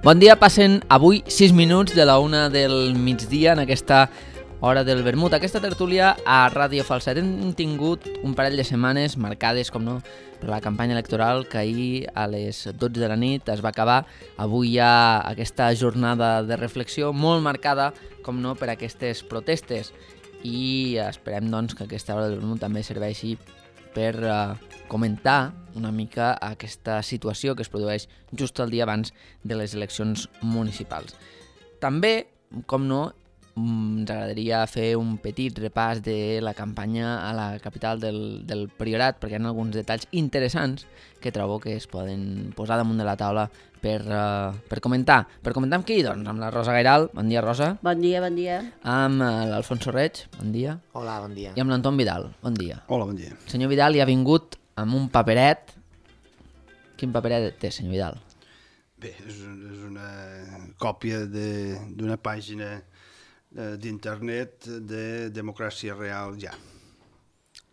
Bon dia, passen avui 6 minuts de la 1 del migdia en aquesta hora del vermut. Aquesta tertúlia a Ràdio Falset. Hem tingut un parell de setmanes marcades, com no, per la campanya electoral que ahir a les 12 de la nit es va acabar. Avui hi ha aquesta jornada de reflexió molt marcada, com no, per aquestes protestes. I esperem doncs que aquesta hora del vermut també serveixi per comentar una mica aquesta situació que es produeix just el dia abans de les eleccions municipals. També, com no, ens agradaria fer un petit repàs de la campanya a la capital del Priorat, perquè hi ha alguns detalls interessants que trobo que es poden posar damunt de la taula per comentar. Per comentar amb qui? Doncs amb la Rosa Gairal. Bon dia, Rosa. Bon dia, bon dia. Amb l'Alfonso Reig. Bon dia. Hola, bon dia. I amb l'Anton Vidal. Bon dia. Hola, bon dia. El senyor Vidal hi ha vingut amb un paperet. Quin paperet té, senyor Vidal? Bé, és una còpia d'una pàgina d'internet de Democràcia Real Ja.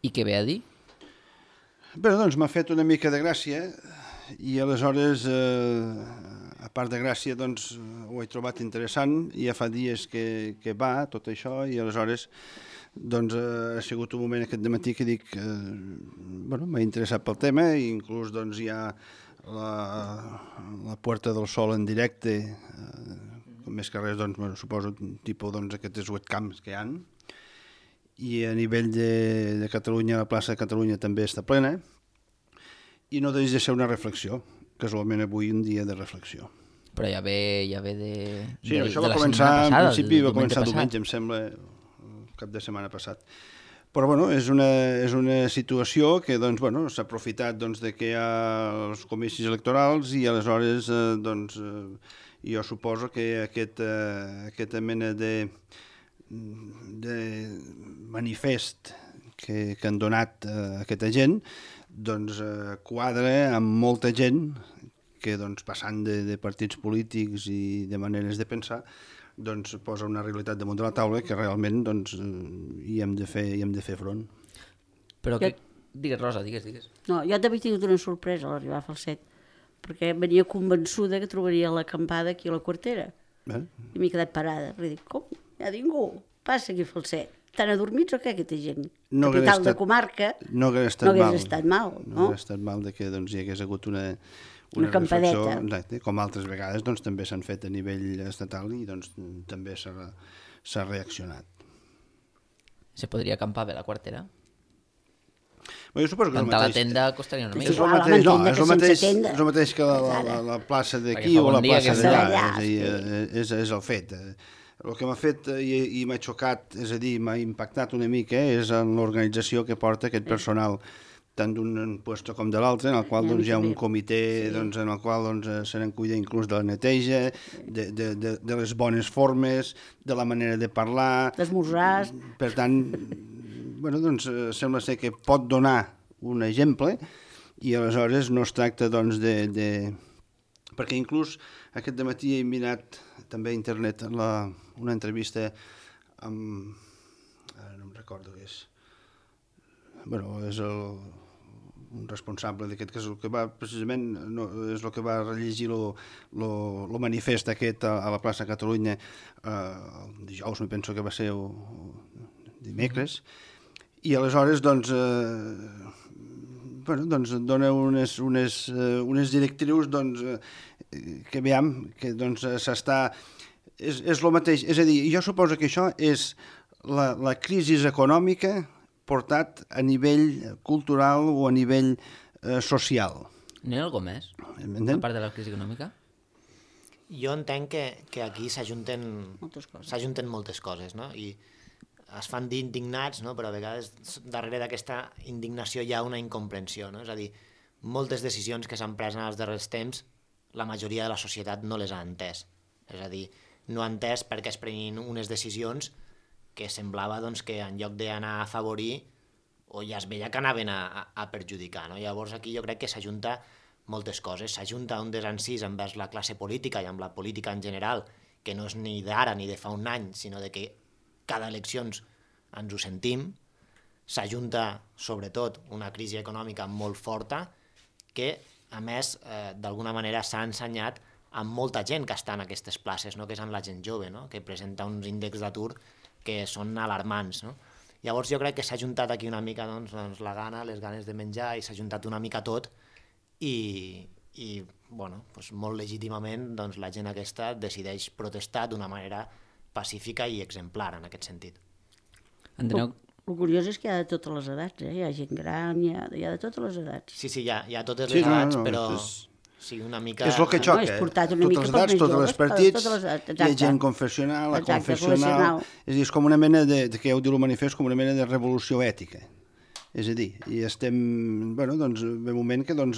I què ve a dir? Bé, doncs m'ha fet una mica de gràcia i aleshores, a part de gràcia, doncs ho he trobat interessant i ja fa dies que va tot això i aleshores doncs ha sigut un moment aquest dematí que dic m'ha interessat pel tema i inclús doncs hi ha la Puerta del Sol en directe, més que res doncs suposo tipus doncs aquests webcams que hi ha, i a nivell de Catalunya, la plaça de Catalunya també està plena i no deixa de ser una reflexió, casualment avui un dia de reflexió. Però ja ve de Sí, això de va la començar, setmana passada, en principi va diumenge començar passat. diumenge, em sembla, el cap de setmana passat. Però bueno, és una situació que doncs, bueno, s'ha aprofitat doncs, de que hi ha els comicis electorals i aleshores doncs, jo suposo que aquesta mena de manifest que han donat aquesta gent doncs, quadra amb molta gent que doncs, passant de partits polítics i de maneres de pensar doncs, posa una realitat damunt de la taula que realment doncs, hi hem de fer front. Però que... Digues, Rosa, digues. No, jo també he tingut una sorpresa a l'arribar a Falset, perquè venia convençuda que trobaria l'acampada aquí a la Quartera. I m'he quedat parada, perquè dic, com? Hi ha ningú? Passa aquí a Falset. Estan adormits o què, aquesta gent? No Capital de comarca, no hagués estat mal. No hagués estat mal de que doncs, hi hagués hagut una campadeta. Exacte, com altres vegades doncs, també s'han fet a nivell estatal i doncs, també s'ha reaccionat. Se podria acampar bé la Quartera? Bé, jo suposo que Cantar la tenda costaria una mica. És el mateix que la plaça d'aquí o la plaça d'allà, és el fet. El que m'ha fet i m'ha xocat, és a dir, m'ha impactat una mica, és en l'organització que porta aquest personal, tant d'un puesto com de l'altre, en el qual doncs, hi ha un comitè doncs, en el qual doncs, se n'en cuida inclús de la neteja, de les bones formes, de la manera de parlar... D'esmorzars... Per tant, bueno, doncs, sembla ser que pot donar un exemple i aleshores no es tracta doncs, perquè inclús aquest dematí he mirat també a internet una entrevista amb... Ara no em recordo què és. Bueno, és un responsable d'aquest, que és el que va precisament, és el que va rellegir el manifest aquest a la plaça Catalunya el dijous, me penso que va ser dimecres, i aleshores doncs dona unes directrius doncs, que veiem que doncs, s'està... És el mateix, és a dir, jo suposo que això és la crisi econòmica portat a nivell cultural o a nivell social. N'hi ha alguna més, a part de la crisi econòmica? Jo entenc que aquí s'ajunten moltes coses, no? I es fan dir indignats, no? Però a vegades darrere d'aquesta indignació hi ha una incomprensió, no? És a dir, moltes decisions que s'han pres en els darrers temps, la majoria de la societat no les ha entès. És a dir, no ha entès perquè es prenien unes decisions que semblava doncs, que en lloc d'anar a afavorir o ja es veia que anaven a perjudicar. No? Llavors aquí jo crec que s'ajunta moltes coses. S'ajunta un desencís envers la classe política i amb la política en general, que no és ni d'ara ni de fa un any, sinó de que cada eleccions ens ho sentim. S'ajunta sobretot una crisi econòmica molt forta que, a més, d'alguna manera s'ha ensenyat amb molta gent que està en aquestes places, no? Que és amb la gent jove, no? Que presenta uns índexs d'atur que són alarmants. No? Llavors jo crec que s'ha juntat aquí una mica doncs, la gana, les ganes de menjar, i s'ha juntat una mica tot, i bueno, doncs molt legítimament doncs, la gent aquesta decideix protestar d'una manera pacífica i exemplar en aquest sentit. Enteneu? El curiós és que hi ha de totes les edats, hi ha gent gran, hi ha de totes les edats. Sí, hi ha totes les edats, però sí, una mica... És el que xoca, totes les edats, tots els partits, hi ha gent confessional, aconfessional, és com una mena de, que ja ho diu el manifest, com una mena de revolució ètica. És a dir, i estem, bueno, doncs, ve un moment que, doncs,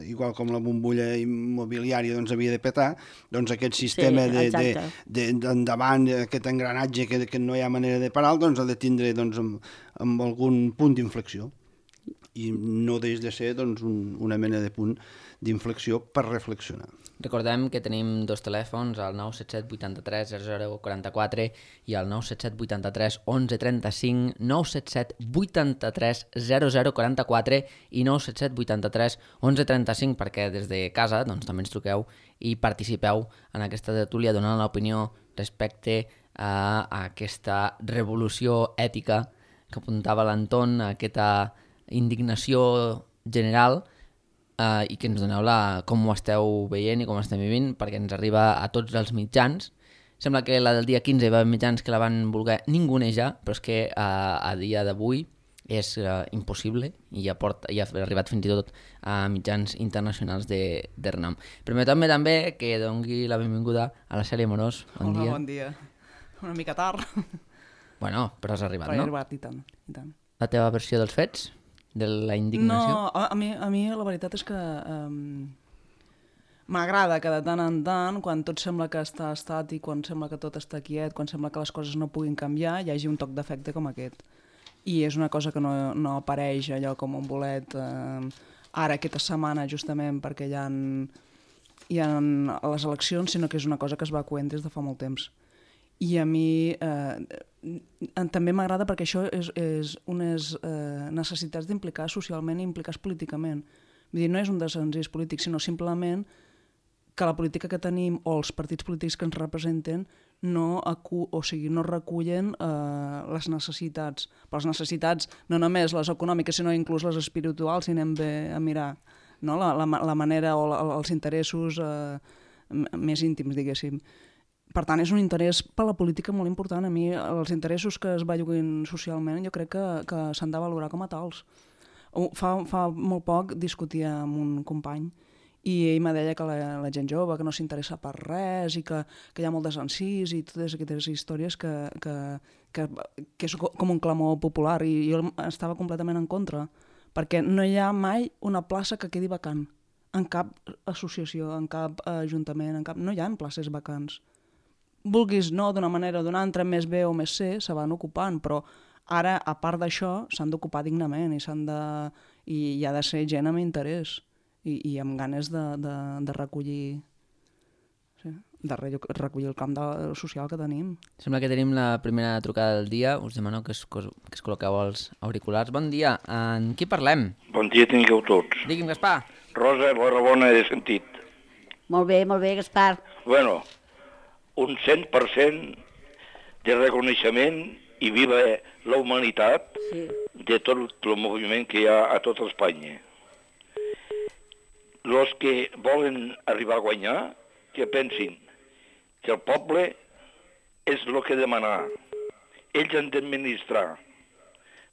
igual com la bombolla immobiliària doncs, havia de petar, doncs aquest sistema d'endavant, aquest engranatge que no hi ha manera de parar, doncs ha de tindre doncs, amb algun punt d'inflexió. I no deix de ser doncs, una mena de punt d'inflexió per reflexionar. Recordem que tenim dos telèfons, el 977 83 0044 i el 977 83 1135, 977 83 0044 i 977 83 1135, perquè des de casa doncs, també ens truqueu i participeu en aquesta tertúlia donant l'opinió respecte a aquesta revolució ètica que apuntava l'Anton, aquesta indignació general, i que ens doneu com ho esteu veient i com estem vivint, perquè ens arriba a tots els mitjans. Sembla que la del dia 15 hi va haver mitjans que la van voler ningunejar, però és que a dia d'avui és impossible i ja ha arribat fins i tot a mitjans internacionals de renom. Permeteu-me també que doni la benvinguda a la Cèlia Morós. Bon dia. Hola, bon dia. Una mica tard. Bueno, però has arribat, no? He arribat, i tant. La teva versió dels fets? De la indignació? No, a mi la veritat és que m'agrada que de tant en tant, quan tot sembla que està estàtic, quan sembla que tot està quiet, quan sembla que les coses no puguin canviar, hi hagi un toc d'efecte com aquest. I és una cosa que no apareix allò com un bolet ara aquesta setmana justament perquè hi ha les eleccions, sinó que és una cosa que es va coent des de fa molt temps. I a mi també m'agrada perquè això és unes necessitats d'implicar socialment i implicar políticament. Vull dir, no és un desencís polític, sinó simplement que la política que tenim o els partits polítics que ens representen no recullen les necessitats. Però les necessitats no només les econòmiques, sinó inclús les espirituals, si anem bé a mirar, no? la manera o els interessos més íntims, diguéssim. Per tant, és un interès per la política molt important. A mi, els interessos que es belluguen socialment, jo crec que s'han de valorar com a tals. Fa molt poc discutia amb un company i ell me deia que la gent jove que no s'interessa per res i que hi ha molt desencís i totes aquestes històries que és com un clamor popular, i jo estava completament en contra, perquè no hi ha mai una plaça que quedi vacant en cap associació, en cap ajuntament, no hi ha places vacants. Vulguis no, d'una manera o d'una altra, més B o més C, se van ocupant, però ara, a part d'això, s'han d'ocupar dignament i hi ha de ser gent amb interès i amb ganes de recollir el camp social que tenim. Sembla que tenim la primera trucada del dia. Us demano que es col·loqueu els auriculars. Bon dia. En qui parlem? Bon dia tingueu tots. Digui'm, Gaspar. Rosa, bona he sentit. Molt bé, Gaspar. Bueno, un 100% de reconeixement i viva la humanitat de tot el moviment que hi ha a tota Espanya. Els que volen arribar a guanyar, que pensin que el poble és el que demanar. Ells han d'administrar,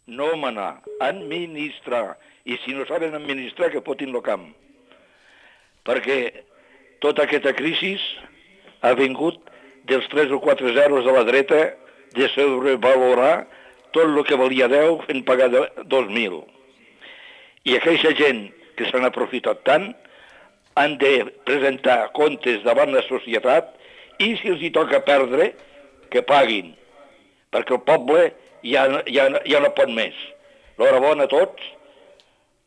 no manar, administrar. I si no saben administrar, que fotin el camp. Perquè tota aquesta crisi ha vingut dels 3 o 4 zeros de la dreta de sobrevalorar tot el que valia 10 fent pagar 2.000. I aquella gent que s'han aprofitat tant han de presentar comptes davant la societat i si els hi toca perdre, que paguin, perquè el poble ja no pot més. L'hora a tots,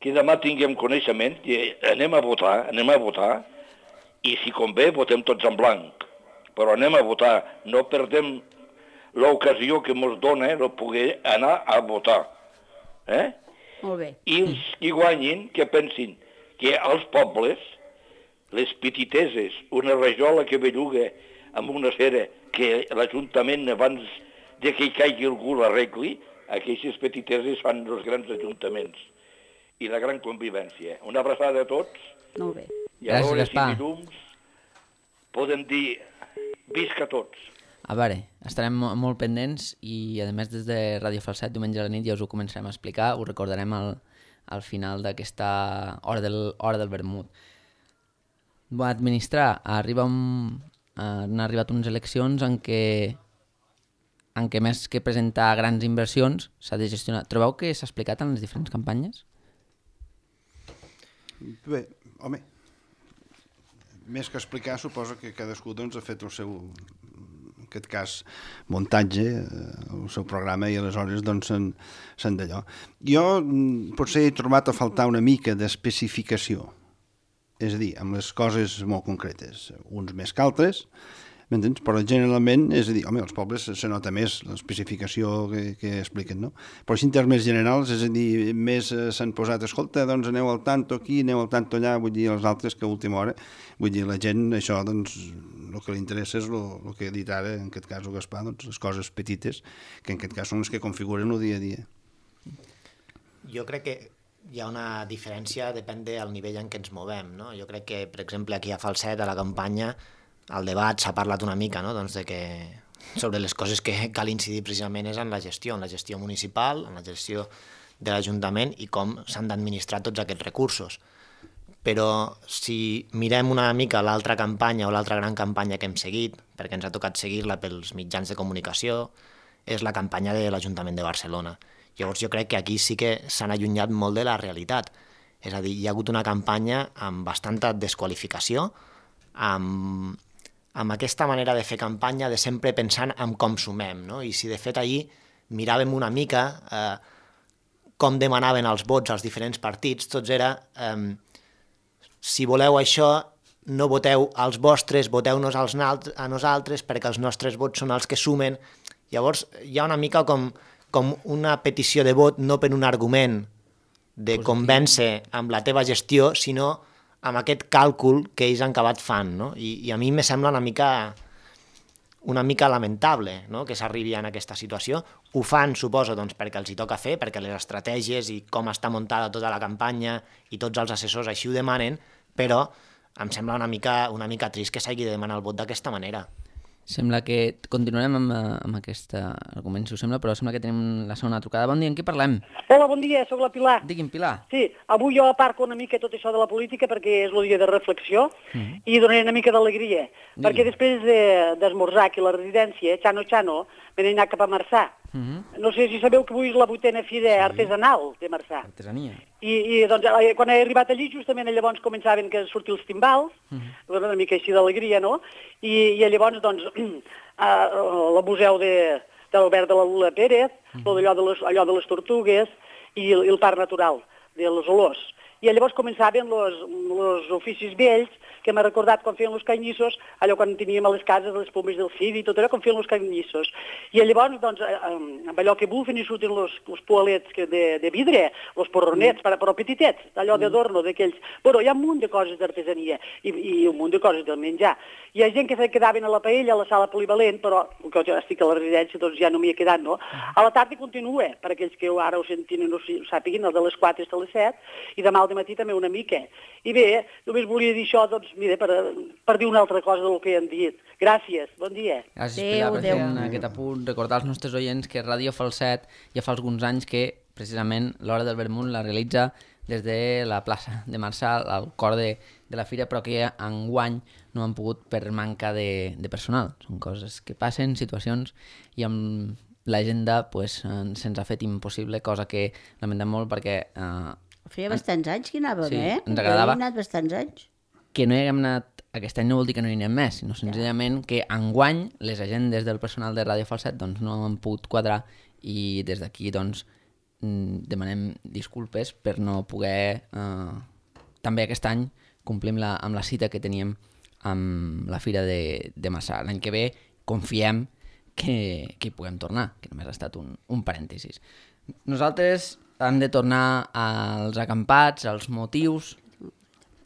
que demà tinguem coneixement, i anem a votar, i si convé votem tots en blanc. Però anem a votar, no perdem l'ocasió que ens dona de poder anar a votar. Molt bé. I els que guanyin, que pensin que els pobles les petiteses, una rajola que belluga amb una cera que l'Ajuntament, abans de que hi caigui algú l'arregli, aquestes petiteses fan els grans ajuntaments. I la gran convivència. Una abraçada a tots. Molt bé. I a veure si dilluns podem dir visca tots. A veure, estarem molt pendents i, a més, des de Ràdio Falset, diumenge a la nit ja us ho començarem a explicar, ho recordarem al final d'aquesta hora del vermut. Administrar, han arribat unes eleccions en què més que presentar grans inversions s'ha de gestionar. Trobeu que s'ha explicat en les diferents campanyes? Bé, home, més que explicar, suposo que cadascú doncs, ha fet el seu, en aquest cas, muntatge, el seu programa, i aleshores doncs, s'han d'allò. Jo potser he trobat a faltar una mica d'especificació, és a dir, amb les coses molt concretes, uns més que altres, m'entens? Però generalment, és a dir, home, als pobles se nota més l'especificació que expliquen, no? Però així en termes generals, és a dir, més s'han posat, escolta, doncs aneu al tanto aquí, aneu al tanto allà, vull dir, els altres que a última hora, vull dir, la gent, això, doncs, el que li interessa és el que ha dit ara, en aquest cas el Gaspar, doncs, les coses petites, que en aquest cas són les que configuren el dia a dia. Jo crec que hi ha una diferència, depèn del nivell en què ens movem, no? Jo crec que, per exemple, aquí a Falset, a la campanya, al debat s'ha parlat una mica, no? Doncs de que sobre les coses que cal incidir precisament és en la gestió municipal, en la gestió de l'Ajuntament i com s'han d'administrar tots aquests recursos. Però si mirem una mica l'altra campanya o l'altra gran campanya que hem seguit, perquè ens ha tocat seguir-la pels mitjans de comunicació, és la campanya de l'Ajuntament de Barcelona. Llavors jo crec que aquí sí que s'han allunyat molt de la realitat. És a dir, hi ha hagut una campanya amb bastanta desqualificació, amb aquesta manera de fer campanya, de sempre pensant en com sumem, no? I si de fet allí miràvem una mica com demanaven els vots als diferents partits, tots era si voleu això, no voteu als vostres, voteu-nos a nosaltres perquè els nostres vots són els que sumen. Llavors hi ha una mica com una petició de vot, no per un argument de convèncer amb la teva gestió, sinó amb aquest càlcul que ells han acabat fan, no? I a mi me sembla una mica lamentable, no?, que s'arribi en aquesta situació. Ho fan, suposo, doncs, perquè els hi toca fer, perquè les estratègies i com està muntada tota la campanya i tots els assessors així ho demanen, però em sembla una mica trist que s'hagi de demanar el vot d'aquesta manera. Sembla que continuarem amb aquest argument, si us sembla, però sembla que tenim la segona trucada. Bon dia, en qui parlem? Hola, bon dia, sóc la Pilar. Digui'm, Pilar. Sí, avui jo aparco una mica tot això de la política perquè és el dia de reflexió i donaré una mica d'alegria, perquè després d'esmorzar aquí a la residència, Xano, me n'he anat cap a Marçà. No sé si sabeu que avui és la 8a fira artesanal de Marçà. Artesania. I doncs, quan he arribat allí, justament llavors començaven a sortir els timbals, una mica així d'alegria, no? I llavors, doncs, al museu de l'Albert de la Lula Pérez, allò de les tortugues i el parc natural de les olors. I llavors començaven els oficis vells, que m'ha recordat quan feien els canyissos, allò quan teníem a les cases les pomes del Cid i tot allò, quan feien els canyissos. I llavors, doncs, amb allò que bufen i surten els poalets de vidre, els porronets, però petitets, allò d'adorno, d'aquells. Bueno, hi ha un munt de coses d'artesania i un munt de coses del menjar. Hi ha gent que se quedaven a la paella, a la sala polivalent, però que jo estic a la residència, doncs ja no m'hi he quedat, no? A la tarda continua, per aquells que ara ho sentin i no ho sàpiguin, el de les 4 fins a les 7, i demà al matí també una mica. I bé, només volia dir això, doncs, mira, per dir una altra cosa del que han dit. Gràcies, bon dia. Gràcies, Pilar, per fer aquest apunt. Recordar als nostres oients que Ràdio Falset ja fa alguns anys que, precisament, l'Hora del Vermut la realitza des de la plaça de Marçà, al cor de la fira, però que enguany no han pogut per manca de personal. Són coses que passen, situacions, i amb l'agenda pues, se'ns ha fet impossible, cosa que lamentem molt perquè... Feia bastants anys que anàvem, sí, ens agradava. Jo he anat bastants anys. Que no hi haguem anat aquest any no vol dir que no hi anem més, sinó senzillament que enguany les agendes del personal de Ràdio Falset doncs, no han pogut quadrar i des d'aquí doncs, demanem disculpes per no poder... També aquest any complim amb la cita que teníem amb la Fira de Marçà. L'any que ve confiem que hi puguem tornar, que només ha estat un parèntesis. Nosaltres hem de tornar als acampats, als motius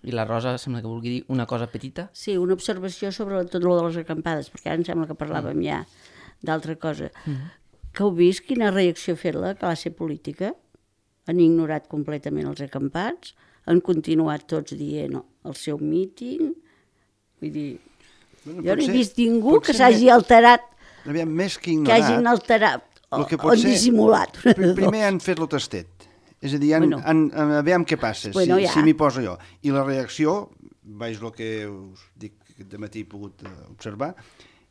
I la Rosa sembla que vulgui dir una cosa petita. Sí, una observació sobre tot lo de les acampades, perquè ara em sembla que parlàvem ja d'altra cosa. Que heu vist quina reacció ha fet la classe política? Han ignorat completament els acampats, han continuat tots dient el seu míting. Vull dir, jo no he vist ningú que s'hagi alterat, Aviam, més que que ignorat... hagin alterat o potser, dissimulat. Primer han fet lo tastet. És a dir, aviam què passa, si m'hi poso jo. I la reacció, veig el que us dic que de matí he pogut observar,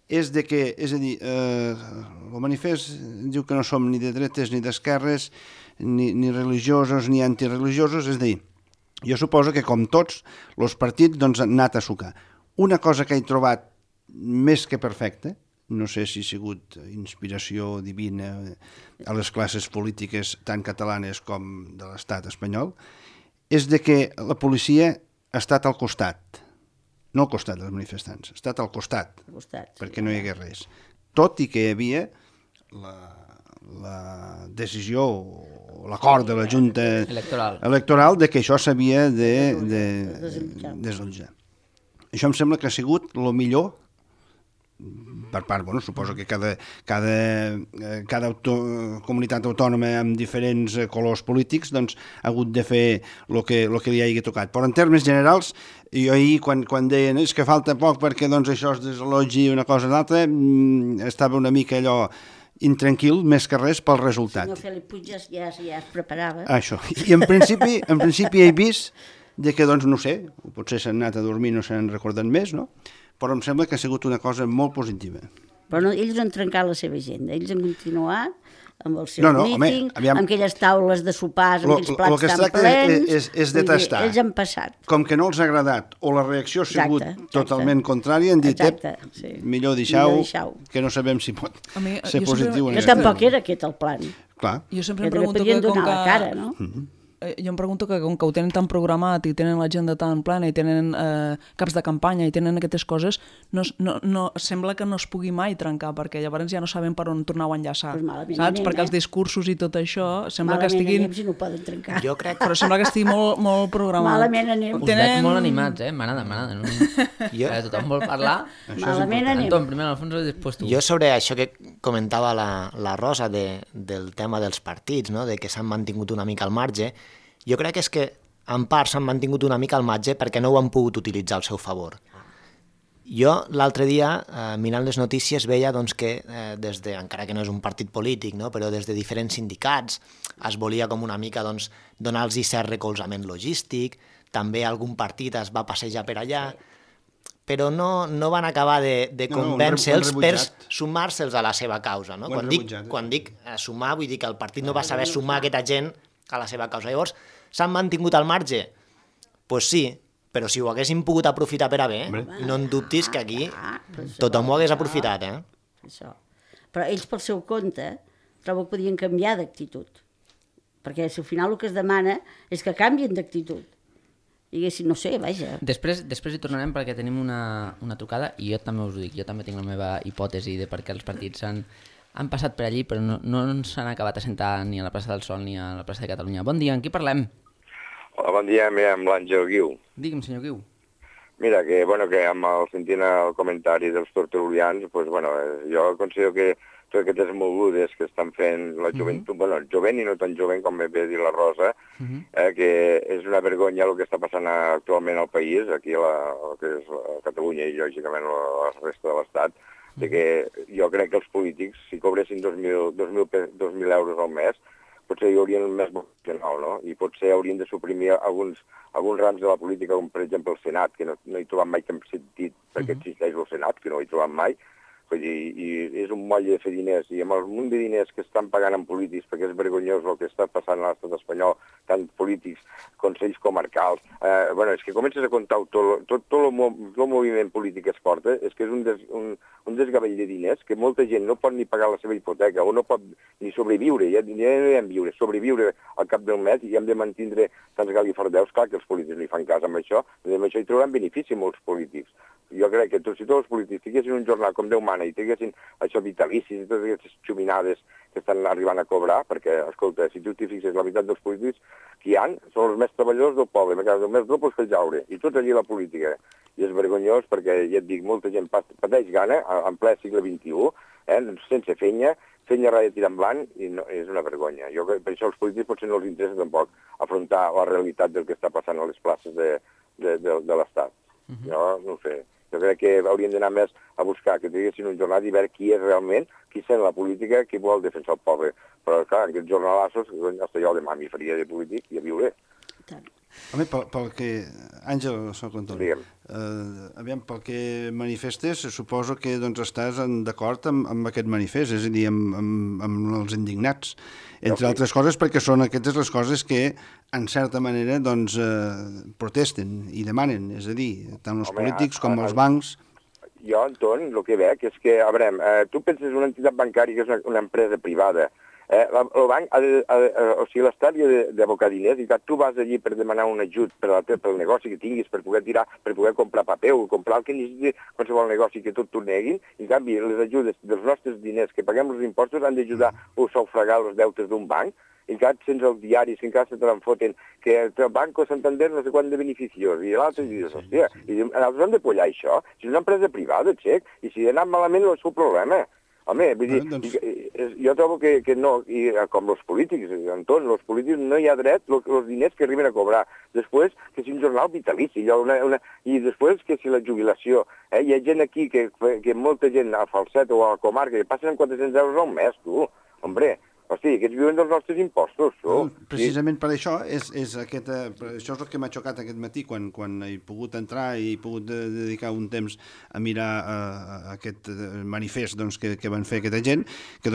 és de que, és a dir, el manifest diu que no som ni de dretes ni d'esquerres, ni religiosos ni antireligiosos, és a dir, jo suposo que com tots, els partits han anat a sucar. Una cosa que he trobat més que perfecta, no sé si ha sigut inspiració divina a les classes polítiques tant catalanes com de l'estat espanyol, és de que la policia ha estat al costat, no al costat dels manifestants, ha estat al costat, perquè no hi hagués res. Tot i que hi havia la decisió o l'acord de la Junta Electoral de que això s'havia de desallotjar. Això em sembla que ha sigut el millor per part, suposo que cada comunitat autònoma amb diferents colors polítics ha hagut de fer el que li hagi tocat. Però en termes generals, jo ahir quan deien és que falta poc perquè això es desallotgi una cosa o l'altra, estava una mica allò intranquil, més que res pel resultat. El senyor Felip Puig ja es preparava. Això. I en principi he vist que, no sé, potser s'han anat a dormir i no s'han recordat més, no? Però em sembla que ha sigut una cosa molt positiva. Però ells han trencat la seva agenda, ells han continuat amb el seu míting, amb aquelles taules de sopars, amb aquells plats tan plens. És de tastar. Ells han passat. Com que no els ha agradat o la reacció ha sigut totalment contrària, han dit, millor deixar-ho, que no sabem si pot ser positiu. Que tampoc era aquest el plan. Clar. Jo sempre em pregunto que com que... cara, no? Jo em pregunto que com que ho tenen tan programat i tenen l'agenda tan plana i tenen caps de campanya i tenen aquestes coses, sembla que no es pugui mai trencar, perquè llavors ja no saben per on tornar a enllaçar, saps? Perquè els discursos i tot això sembla que estiguin... Malament anem si no poden trencar. Jo crec... Però sembla que estigui molt programat. Malament anem. Us veig molt animats, m'agrada. Tothom vol parlar. Malament anem. Anton, primer Alfonso i després tu. Jo sobre això que comentava la Rosa del tema dels partits, no? De que s'han mantingut una mica al marge, jo crec que és que en part s'han mantingut una mica al marge perquè no ho han pogut utilitzar al seu favor. Jo l'altre dia, mirant les notícies, veia que encara que no és un partit polític, no? Però des de diferents sindicats es volia com una mica donar-los cert recolzament logístic, també algun partit es va passejar per allà, però no van acabar de convèncer-los per sumar-se'ls a la seva causa. No? Quan dic sumar, vull dir que el partit no va saber sumar aquesta gent a la seva causa. Llavors, s'han mantingut al marge? Doncs sí, però si ho haguessin pogut aprofitar per a bé, no en dubtis que aquí tothom ho hagués aprofitat. Això. Però ells, pel seu compte, trobo que podien canviar d'actitud. Perquè si al final el que es demana és que canvien d'actitud. Diguéssim, no sé, vaja. Després hi tornarem perquè tenim una trucada i jo també us ho dic, jo també tinc la meva hipòtesi de per què els partits han passat per allí, però no s'han acabat assentar ni a la plaça del Sol ni a la plaça de Catalunya. Bon dia, amb qui parlem? Hola, bon dia, amb l'Àngel Guiu. Digue'm, senyor Guiu. Mira, que sentint el comentari dels tertulians, jo considero que totes aquestes mogudes que estan fent la joventut, jovent i no tan jovent com bé dir la Rosa, que és una vergonya el que està passant actualment al país, aquí que és Catalunya i lògicament la resta de l'Estat, de que jo crec que els polítics, si cobressin 2.000 euros al mes, potser hi haurien més vocacional, no? I potser haurien de suprimir alguns rams de la política, com per exemple el Senat, que no he trobat mai cap sentit perquè existeix el Senat, que no ho he trobat mai, i és un moll de fer diners, i amb el munt de diners que estan pagant en polítics, perquè és vergonyós el que està passant a l'estat espanyol, tant polítics, consells comarcals, és que comences a comptar tot el moviment polític que es porta, és que és un desgavell de diners, que molta gent no pot ni pagar la seva hipoteca, o no pot ni sobreviure, ja no hem viure, sobreviure al cap del mes, i hem de mantindre tants galifardeus, clar que els polítics li fan cas amb això hi trauran benefici molts polítics. Jo crec que si tots els polítics tinguessin un jornal com Déu mana, setmana i tinguessin això vitalicis i totes aquestes xuminades que estan arribant a cobrar, perquè, escolta, si tu t'hi fixes, la meitat dels polítics que hi ha són els més treballadors del poble, perquè el més doble és fer jaure, i tots allí a la política. I és vergonyós perquè, ja et dic, molta gent pateix gana, en ple segle XXI, sense fenya rai de tirar en blanc, i no, és una vergonya. Jo, per això els polítics potser no els interessa tampoc afrontar la realitat del que està passant a les places de l'Estat. Jo no ho sé. Jo crec que hauríem d'anar més a buscar que tinguessin un jornal i veure qui és realment, qui sent la política, qui vol defensar el poble. Però, clar, aquests jornalassos, hasta jo demà m'hi faria de polític i a viure. Home, pel que... Àngel, soc l'Antoni. Aviam, pel que manifestes, suposo que doncs, estàs d'acord amb aquest manifest, és a dir, amb els indignats, entre altres coses, perquè són aquestes les coses que, en certa manera, doncs, protesten i demanen, és a dir, tant els polítics com els bancs. Jo, Anton, el que veig és que, a veure, tu penses en una entitat bancària que és una empresa privada. El banc, o sigui, l'Estat ha d'abocar diners i tu vas allí per demanar un ajut pel negoci que tinguis, per poder tirar, per poder comprar paper o comprar el que necessiti qualsevol negoci que tot t'ho neguin. En canvi, les ajudes dels nostres diners que paguem els impostos han d'ajudar a sufragar els deutes d'un banc. Encara sents els diaris que encara se te l'enfoten que el Banco Santander no sé quant de beneficiós i l'altre dius, hòstia, i nosaltres hem de pollar això. Si és una empresa privada, xec, i si ha anat malament no és el problema. Home, vull dir, jo trobo que no, i com els polítics, Anton, els polítics no hi ha dret els diners que arriben a cobrar. Després, que si un jornal vitalici, i després que si la jubilació. Hi ha gent aquí, que molta gent al Falset o a la comarca, que passen amb 400 euros al mes, tu. Hombre, hosti, aquests viuen dels nostres impostos. Precisament per això és això és el que m'ha xocat aquest matí, quan he pogut entrar i he pogut dedicar un temps a mirar aquest manifest que van fer aquesta gent, que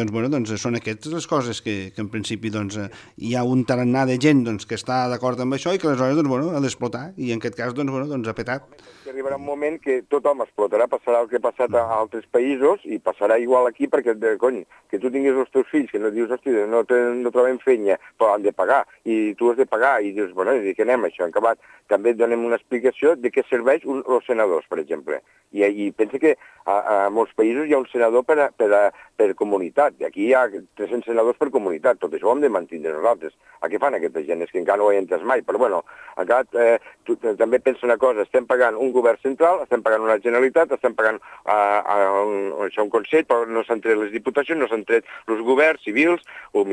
són aquestes les coses que en principi hi ha un tarannà de gent que està d'acord amb això i que aleshores ha d'explotar, i en aquest cas ha petat. Arribarà un moment que tothom explotarà, passarà el que ha passat a altres països i passarà igual aquí perquè, cony, que tu tinguis els teus fills, que no dius, hosti, no trobem fenya, però han de pagar, i tu has de pagar, i dius, bueno, i què anem això? En acabat, també donem una explicació de què serveix els senadors, per exemple. I pensa que a molts països hi ha un senador per comunitat, i aquí hi ha 300 senadors per comunitat, tot això ho hem de mantenir nosaltres. A què fan aquesta gent? És que encara no ho he entès mai, però bueno, també pensa una cosa, estem pagant un govern central, estem pagant una Generalitat, estem pagant un Consell, però no s'han tret les diputacions, no s'han tret els governs civils, o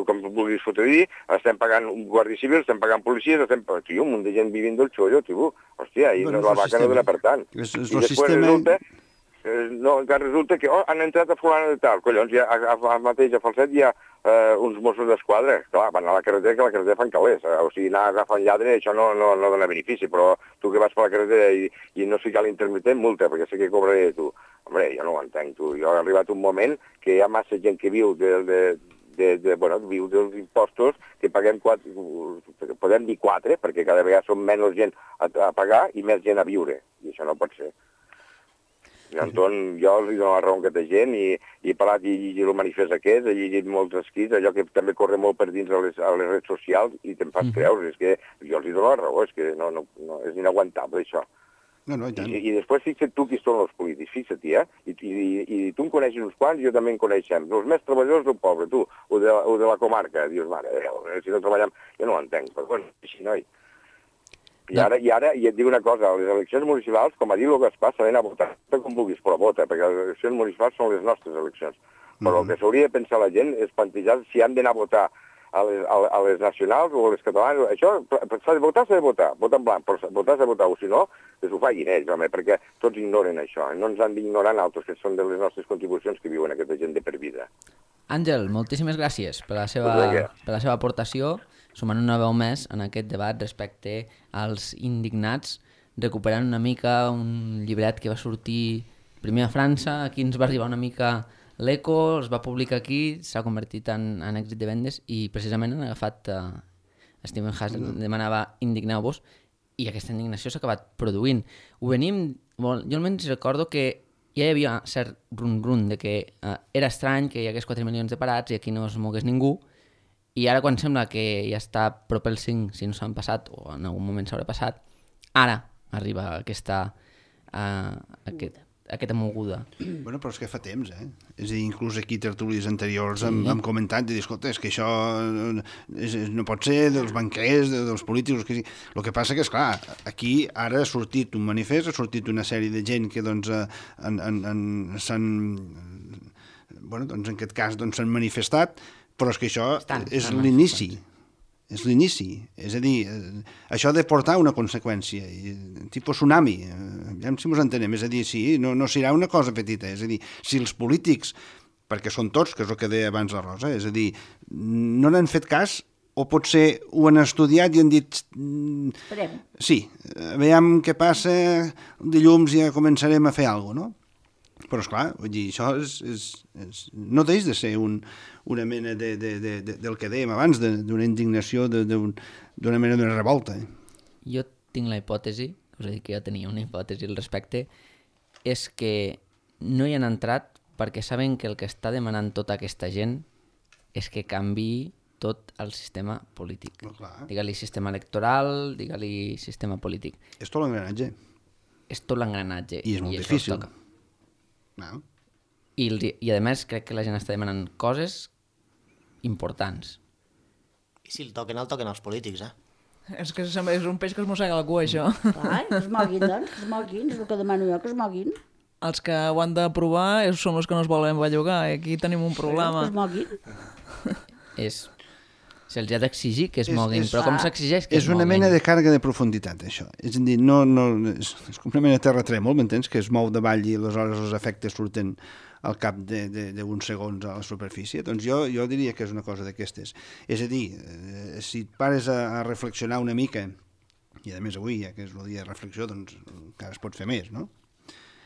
com vulguis fotre-dir, estem pagant un guàrdia civil, estem pagant policies, tio, un munt de gent vivint del xollo, tio, hòstia, i la vaca no dona per tant. I després resulta que han entrat a fulana de tal, collons, mateix a Falset hi ha uns Mossos d'Esquadra, clar, van a la carretera, que la carretera fan calés, o sigui, anar agafant lladre, això no dona benefici, però tu que vas per la carretera i no ficar l'intermitent, multa, perquè sé que cobraré tu. Hombre, jo no ho entenc, tu. Jo ha arribat un moment que hi ha massa gent que viu viu dels impostos, que paguem 4, podem dir 4, perquè cada vegada som menys gent a pagar i més gent a viure, i això no pot ser. Anton, jo li dono la raó a aquesta gent i he parlat i llegit el manifest aquest, he llegit molts escrits, allò que també corre molt per dins a les redes socials i te'n fas creure, és que jo els dono la raó, és que no és inaguantable això. I després fixa't tu qui són els polítics, fixa't, i tu en coneixes uns quants, jo també en coneixem, els més treballadors del poble, tu, o de la comarca, dius, mare, si no treballem, jo no ho entenc, però bueno, així noi. I ara, i et dic una cosa, les eleccions municipals, com ha dit el Gaspar, s'han d'anar a votar com vulguis, però vota, perquè les eleccions municipals són les nostres eleccions. Però el que s'hauria de pensar la gent és plantejar si han d'anar a votar a les nacionals o a les catalanes. Això s'ha de votar, vota en blanc, però votar s'ha de votar, o si no, que s'ho facin ells, home, perquè tots ignoren això, no ens han d'ignorar altres, que són de les nostres contribucions que viuen aquesta gent de per vida. Àngel, moltíssimes gràcies per la seva aportació, sumant una veu més en aquest debat respecte als indignats, recuperant una mica un llibret que va sortir primer a França, aquí ens va arribar una mica l'Eco, es va publicar aquí, s'ha convertit en èxit de vendes i precisament han agafat Stephen Hazen, demanava indigneu-vos i aquesta indignació s'ha acabat produint. Jo almenys recordo que ja hi havia cert run-run de que era estrany que hi hagués 4 milions de parats i aquí no es mogués ningú. I ara quan sembla que ja està prop el 5, si no s'han passat, o en algun moment s'haurà passat, ara arriba aquesta aquesta moguda. Bueno, però és que fa temps, És a dir, inclús aquí tertúlies anteriors hem comentat de dir, escolta, és que això no pot ser dels banquers, dels polítics, que sí. El que passa que, esclar, aquí ara ha sortit un manifest, ha sortit una sèrie de gent que, doncs, s'han... Bueno, doncs, en aquest cas, doncs, s'han manifestat, però és que això és l'inici. És l'inici. És a dir, això ha de portar una conseqüència, tipus tsunami, ja si ens entenem, és a dir, sí, no serà una cosa petita, és a dir, si els polítics, perquè són tots, que és el que deia abans la Rosa, és a dir, no n'han fet cas, o potser ho han estudiat i han dit... Esperem. Sí, veiem què passa, dilluns ja començarem a fer alguna cosa, no? Però, esclar, vull dir, això no deix de ser una mena del que dèiem abans, d'una indignació, d'una mena de revolta. Jo tinc la hipòtesi, us he dit que jo tenia una hipòtesi al respecte, és que no hi han entrat perquè saben que el que està demanant tota aquesta gent és que canviï tot el sistema polític. Digue-li sistema electoral, digue-li sistema polític. És tot l'engranatge. És tot l'engranatge. I és molt difícil. No. I a més crec que la gent està demanant coses importants. I si el toquen els polítics, És que és un peix que es mossega la cua, això. Clar, que es moguin, doncs, que es moguin, és el que demano jo, que es moguin. Els que ho han d'aprovar són els que no es volen bellugar, aquí tenim un problema. Que es moguin. Se'ls ha d'exigir que es moguin, però com s'exigeix que es moguin? És una mena de càrrega de profunditat, això. És a dir, és com una mena de terratrèmol, m'entens? Que es mou davall i aleshores els efectes surten al cap d'uns segons a la superfície. Doncs jo diria que és una cosa d'aquestes. És a dir, si et pares a reflexionar una mica, i a més avui, ja que és el dia de reflexió, doncs encara es pot fer més, no?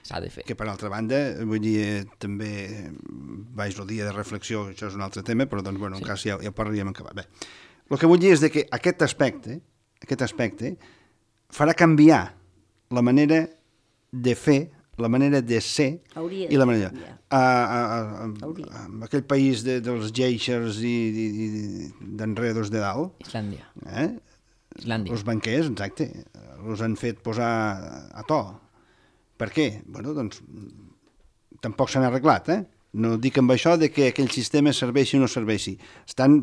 S'ha de fer. Que per altra banda, vull dir, també vaig el dia de reflexió, això és un altre tema, però doncs, bueno, en cas ja parlaríem en acabar. Bé, el que vull dir és que aquest aspecte farà canviar la manera de fer, la manera de ser i la manera... En aquell país dels geixers i d'enredos de dalt... Islàndia. Islàndia. Els banquers, exacte, els han fet posar a to. Per què? Bueno, doncs, tampoc s'han arreglat, No dic amb això de que aquell sistema serveixi o no serveixi. Estan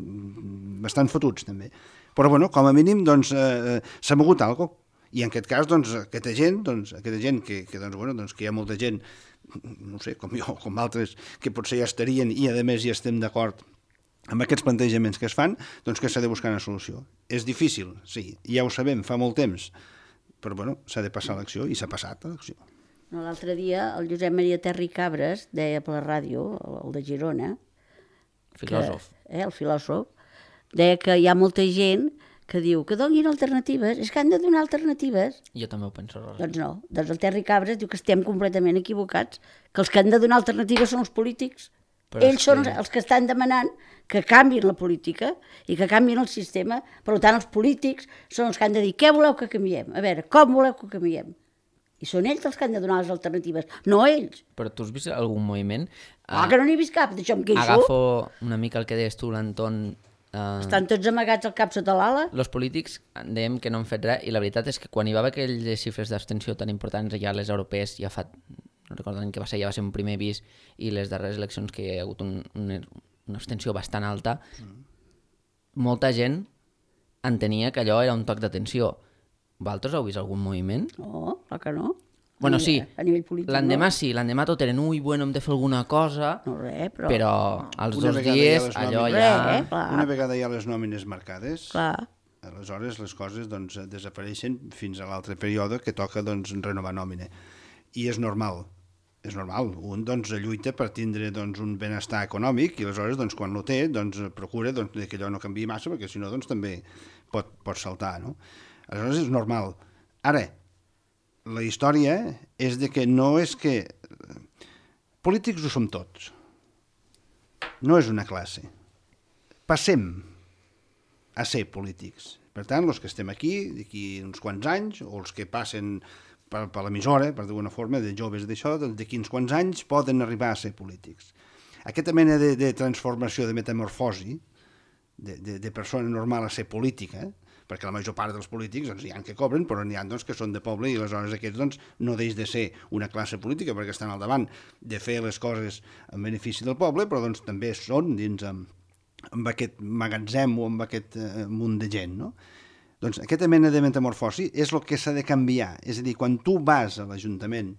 bastant fotuts, també. Però, bueno, com a mínim, doncs, s'ha mogut alguna cosa. I en aquest cas, doncs, aquesta gent que hi ha molta gent, no sé, com jo, com altres, que potser ja estarien i, a més, ja estem d'acord amb aquests plantejaments que es fan, doncs que s'ha de buscar una solució. És difícil, sí, ja ho sabem, fa molt temps, però, bueno, s'ha de passar a l'acció i s'ha passat a l'acció. No, l'altre dia el Josep Maria Terri Cabres deia per la ràdio, el de Girona, filòsof. El filòsof, deia que hi ha molta gent que diu que donin alternatives, és que han de donar alternatives. Jo també ho penso. Doncs no, doncs el Terri Cabres diu que estem completament equivocats, que els que han de donar alternatives són els polítics. Però ells són els que estan demanant que canviïn la política i que canviïn el sistema, per tant els polítics són els que han de dir què voleu que canviem, a veure, com voleu que canviem. I són ells els que han de donar les alternatives, no ells. Però tu has vist algun moviment? Que no n'hi he vist cap, d'això em queixo. Agafo una mica el que deies tu, l'Anton. Estan tots amagats al cap sota l'ala. Els polítics dèiem que no han fet res, i la veritat és que quan hi va haver aquelles xifres d'abstenció tan importants ja a les europees, ja fa, no recordo que va ser un primer avís, i les darreres eleccions que hi ha hagut una abstenció bastant alta, molta gent entenia que allò era un toc d'atenció. Vosaltres heu vist algun moviment? No, clar que no. Bueno, sí, a nivell polític, l'endemà sí, l'endemà tot eren bueno, hem de fer alguna cosa, no, res, però als 2 dies allò ja... Una vegada hi ha les nòmines marcades, clar. Aleshores les coses doncs, desapareixen fins a l'altre període que toca doncs, renovar nòmina. I és normal. Un doncs, lluita per tindre doncs, un benestar econòmic i aleshores doncs, quan no té doncs, procura doncs, que allò no canviï massa perquè si no doncs, també pot saltar, no? Aleshores és normal. Ara, la història és de que no és que... Polítics ho som tots. No és una classe. Passem a ser polítics. Per tant, els que estem aquí, d'aquí uns quants anys, o els que passen per l'emissora, per d'alguna forma, de joves d'això, d'aquí uns quants anys poden arribar a ser polítics. Aquesta mena de transformació, de metamorfosi, de persona normal a ser política, perquè la major part dels polítics hi ha que cobren, però n'hi ha que són de poble i aleshores aquests no deix de ser una classe política perquè estan al davant de fer les coses en benefici del poble, però també són dins amb aquest magatzem o amb aquest munt de gent, no? Doncs aquesta mena de metamorfosi és el que s'ha de canviar. És a dir, quan tu vas a l'Ajuntament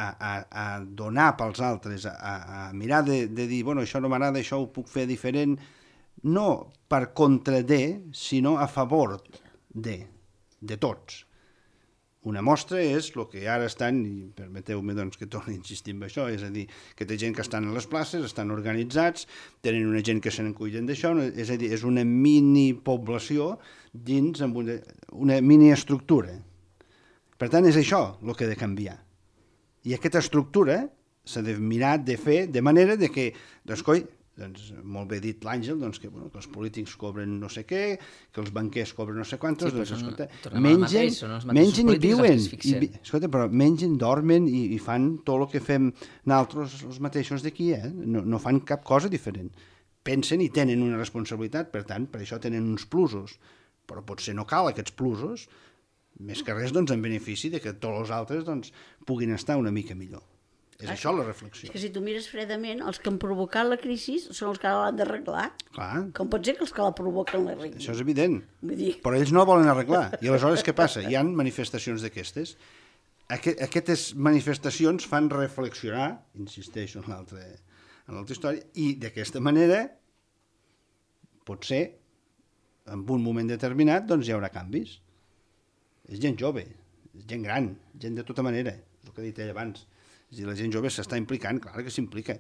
a donar pels altres, a mirar de dir, bueno, això no m'agrada, això ho puc fer diferent, no per contra de, sinó a favor de tots. Una mostra és el que ara estan, i permeteu-me doncs, que torni a insistir en això, és a dir, que té gent que estan a les places, estan organitzats, tenen una gent que se n'encuiden d'això, és a dir, és una minipoblació dins amb una miniestructura. Per tant, és això el que ha de canviar. I aquesta estructura s'ha de mirar de fer de manera de que, doncs, molt bé dit l'Àngel, doncs, que els polítics cobren no sé què, que els banquers cobren no sé quantos, sí, doncs, escolta, mengen i viuen, escolta, però mengen, dormen i fan tot el que fem nosaltres els mateixos d'aquí, no fan cap cosa diferent. Pensen i tenen una responsabilitat, per tant, per això tenen uns plusos, però potser no cal aquests plusos, més que res doncs, en benefici de que tots els altres doncs, puguin estar una mica millor. És això la reflexió. És que si tu mires fredament, els que han provocat la crisi són els que l'han d'arreglar. Clar. Com pot ser que els que la provoquen l'arreglin? Això és evident. Vull dir... Però ells no volen arreglar. I aleshores què passa? Hi ha manifestacions d'aquestes. Aquestes manifestacions fan reflexionar, insisteixo en l'altra història, i d'aquesta manera, potser, en un moment determinat, doncs hi haurà canvis. És gent jove, és gent gran, gent de tota manera, és el que he dit ell abans. És a dir, la gent jove s'està implicant, clar que s'implica.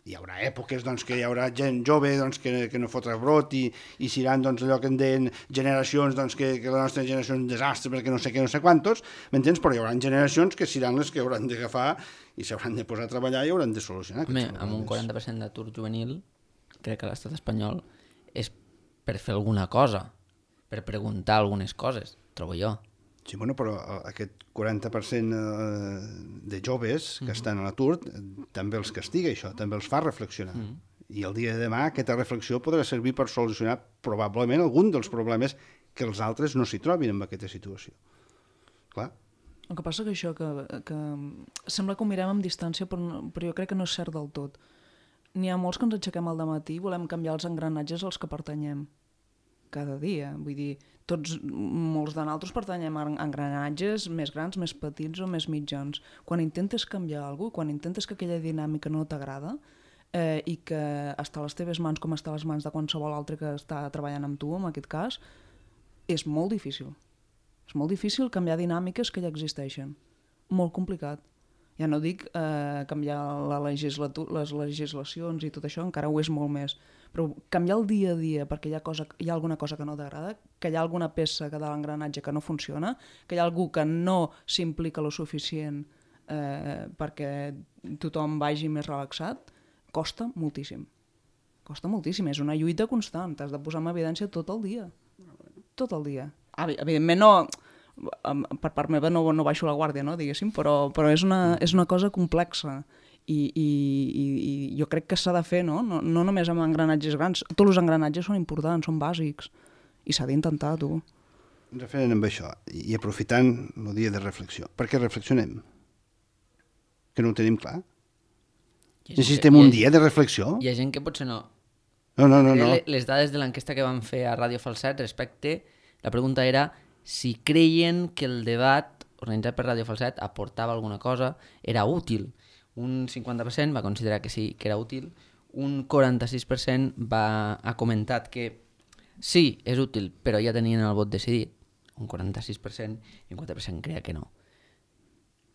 Hi haurà èpoques doncs, que hi haurà gent jove doncs, que no fotrà brot i seran doncs, allò que en deien generacions doncs, que la nostra generació és un desastre perquè no sé què, no sé quantos, m'entens? Però hi haurà generacions que seran les que hauran d'agafar i s'hauran de posar a treballar i hauran de solucionar. Home, amb un 40% d'atur juvenil, crec que a l'estat espanyol és per fer alguna cosa, per preguntar algunes coses, trobo jo. Sí, bueno, però aquest 40% de joves que estan a l'atur també els castiga això, també els fa reflexionar. I el dia de demà aquesta reflexió podrà servir per solucionar probablement algun dels problemes que els altres no s'hi trobin en aquesta situació. Clar. El que passa que això, que sembla que ho mirem amb distància, però jo crec que no és cert del tot. N'hi ha molts que ens aixequem al dematí i volem canviar els engranatges als que pertanyem cada dia. Vull dir, molts de nosaltres pertanyem a engranatges més grans, més petits o més mitjans. Quan intentes canviar alguna cosa, quan intentes que aquella dinàmica no t'agrada i que està a les teves mans com està a les mans de qualsevol altre que està treballant amb tu, en aquest cas, és molt difícil. És molt difícil canviar dinàmiques que ja existeixen. Molt complicat. Ja no dic canviar les legislacions i tot això, encara ho és molt més. Però canviar el dia a dia perquè hi ha alguna cosa que no t'agrada, que hi ha alguna peça de l'engranatge que no funciona, que hi ha algú que no s'implica lo suficient perquè tothom vagi més relaxat, costa moltíssim. Costa moltíssim, és una lluita constant, t'has de posar en evidència tot el dia. Tot el dia. Evidentment no... Per part meva no baixo la guàrdia, no, diguéssim, però és una cosa complexa i jo crec que s'ha de fer, no només amb engranatges grans, tots els engranatges són importants, són bàsics i s'ha d'intentar, tu. Referent amb això i aprofitant el dia de reflexió, per què reflexionem? Que no ho tenim clar? Necessitem un dia de reflexió? Hi ha gent que potser no. No. Les dades de l'enquesta que van fer a Ràdio Falset respecte, la pregunta era si creien que el debat organitzat per Ràdio Falset aportava alguna cosa, era útil. Un 50% va considerar que sí, que era útil. Un 46% ha comentat que sí, és útil, però ja tenien el vot decidit. Un 46% i un 4% creia que no.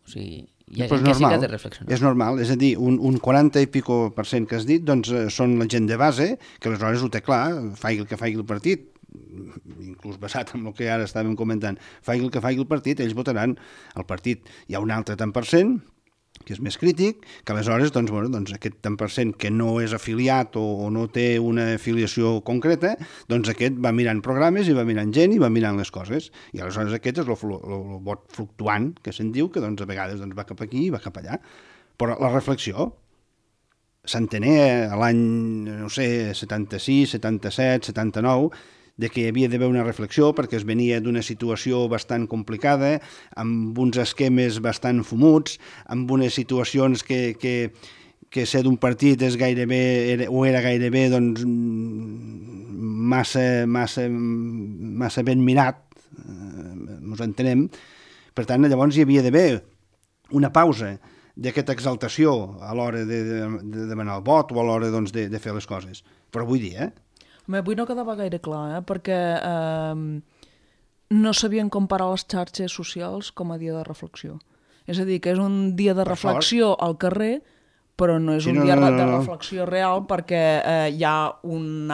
O sigui, hi ha gent que sí que ha de reflexionar. És normal, és a dir, un 40 i pico % que has dit, doncs són la gent de base, que aleshores ho té clar, faci el que faci el partit, inclús basat en el que ara estàvem comentant, faci el que faci el partit, ells votaran el partit. Hi ha un altre tant per cent, que és més crític, que aleshores doncs aquest tant per cent que no és afiliat o no té una afiliació concreta, doncs aquest va mirant programes i va mirant gent i va mirant les coses. I aleshores aquest és el vot fluctuant, que se'n diu, que doncs, a vegades va cap aquí i va cap allà. Però la reflexió, s'entenia a l'any, no sé, 76, 77, 79, de que hi havia d'haver una reflexió perquè es venia d'una situació bastant complicada, amb uns esquemes bastant fumuts, amb unes situacions que ser d'un partit és gairebé, era gairebé doncs, massa ben mirat, ens entenem. Per tant, llavors hi havia d'haver una pausa d'aquesta exaltació a l'hora de demanar el vot o a l'hora doncs, de fer les coses. Però avui dia... Avui no quedava gaire clar, perquè no sabien comparar les xarxes socials com a dia de reflexió. És a dir, que és un dia de reflexió al carrer, però no és un dia de reflexió real perquè hi ha un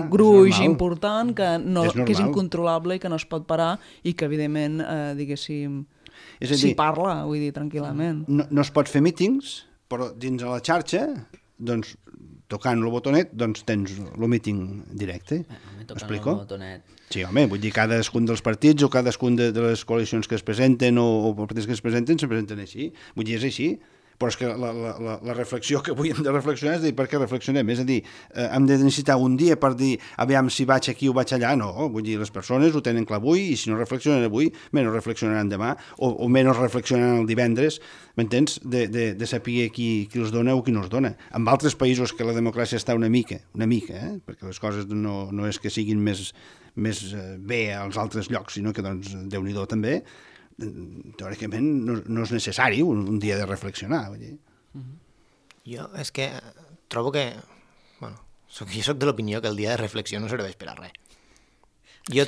gruix important que és incontrolable i que no es pot parar i que, evidentment, diguéssim, s'hi parla, vull dir, tranquil·lament. No es pot fer mítings, però dins a la xarxa, doncs, tocant el botonet, doncs tens el míting directe. M'explico? Sí, home, vull dir, cadascun dels partits o cadascun de les coalicions que es presenten o partits que es presenten així. Vull dir, és així. Però és que la reflexió que avui hem de reflexionar és dir, per què reflexionem? És a dir, hem de necessitar un dia per dir, aviam si vaig aquí o vaig allà. No, vull dir, les persones ho tenen clar avui i si no reflexionen avui, menys reflexionaran demà o menys reflexionaran el divendres, m'entens? De saber qui els dona o qui no els dona. En altres països que la democràcia està una mica, perquè les coses no és que siguin més bé als altres llocs, sinó que, doncs, Déu-n'hi-do també, teòricament no és necessari un dia de reflexionar. Vull dir. Jo és que trobo que... Bueno, jo soc de l'opinió que el dia de reflexió no serveix per a res. Jo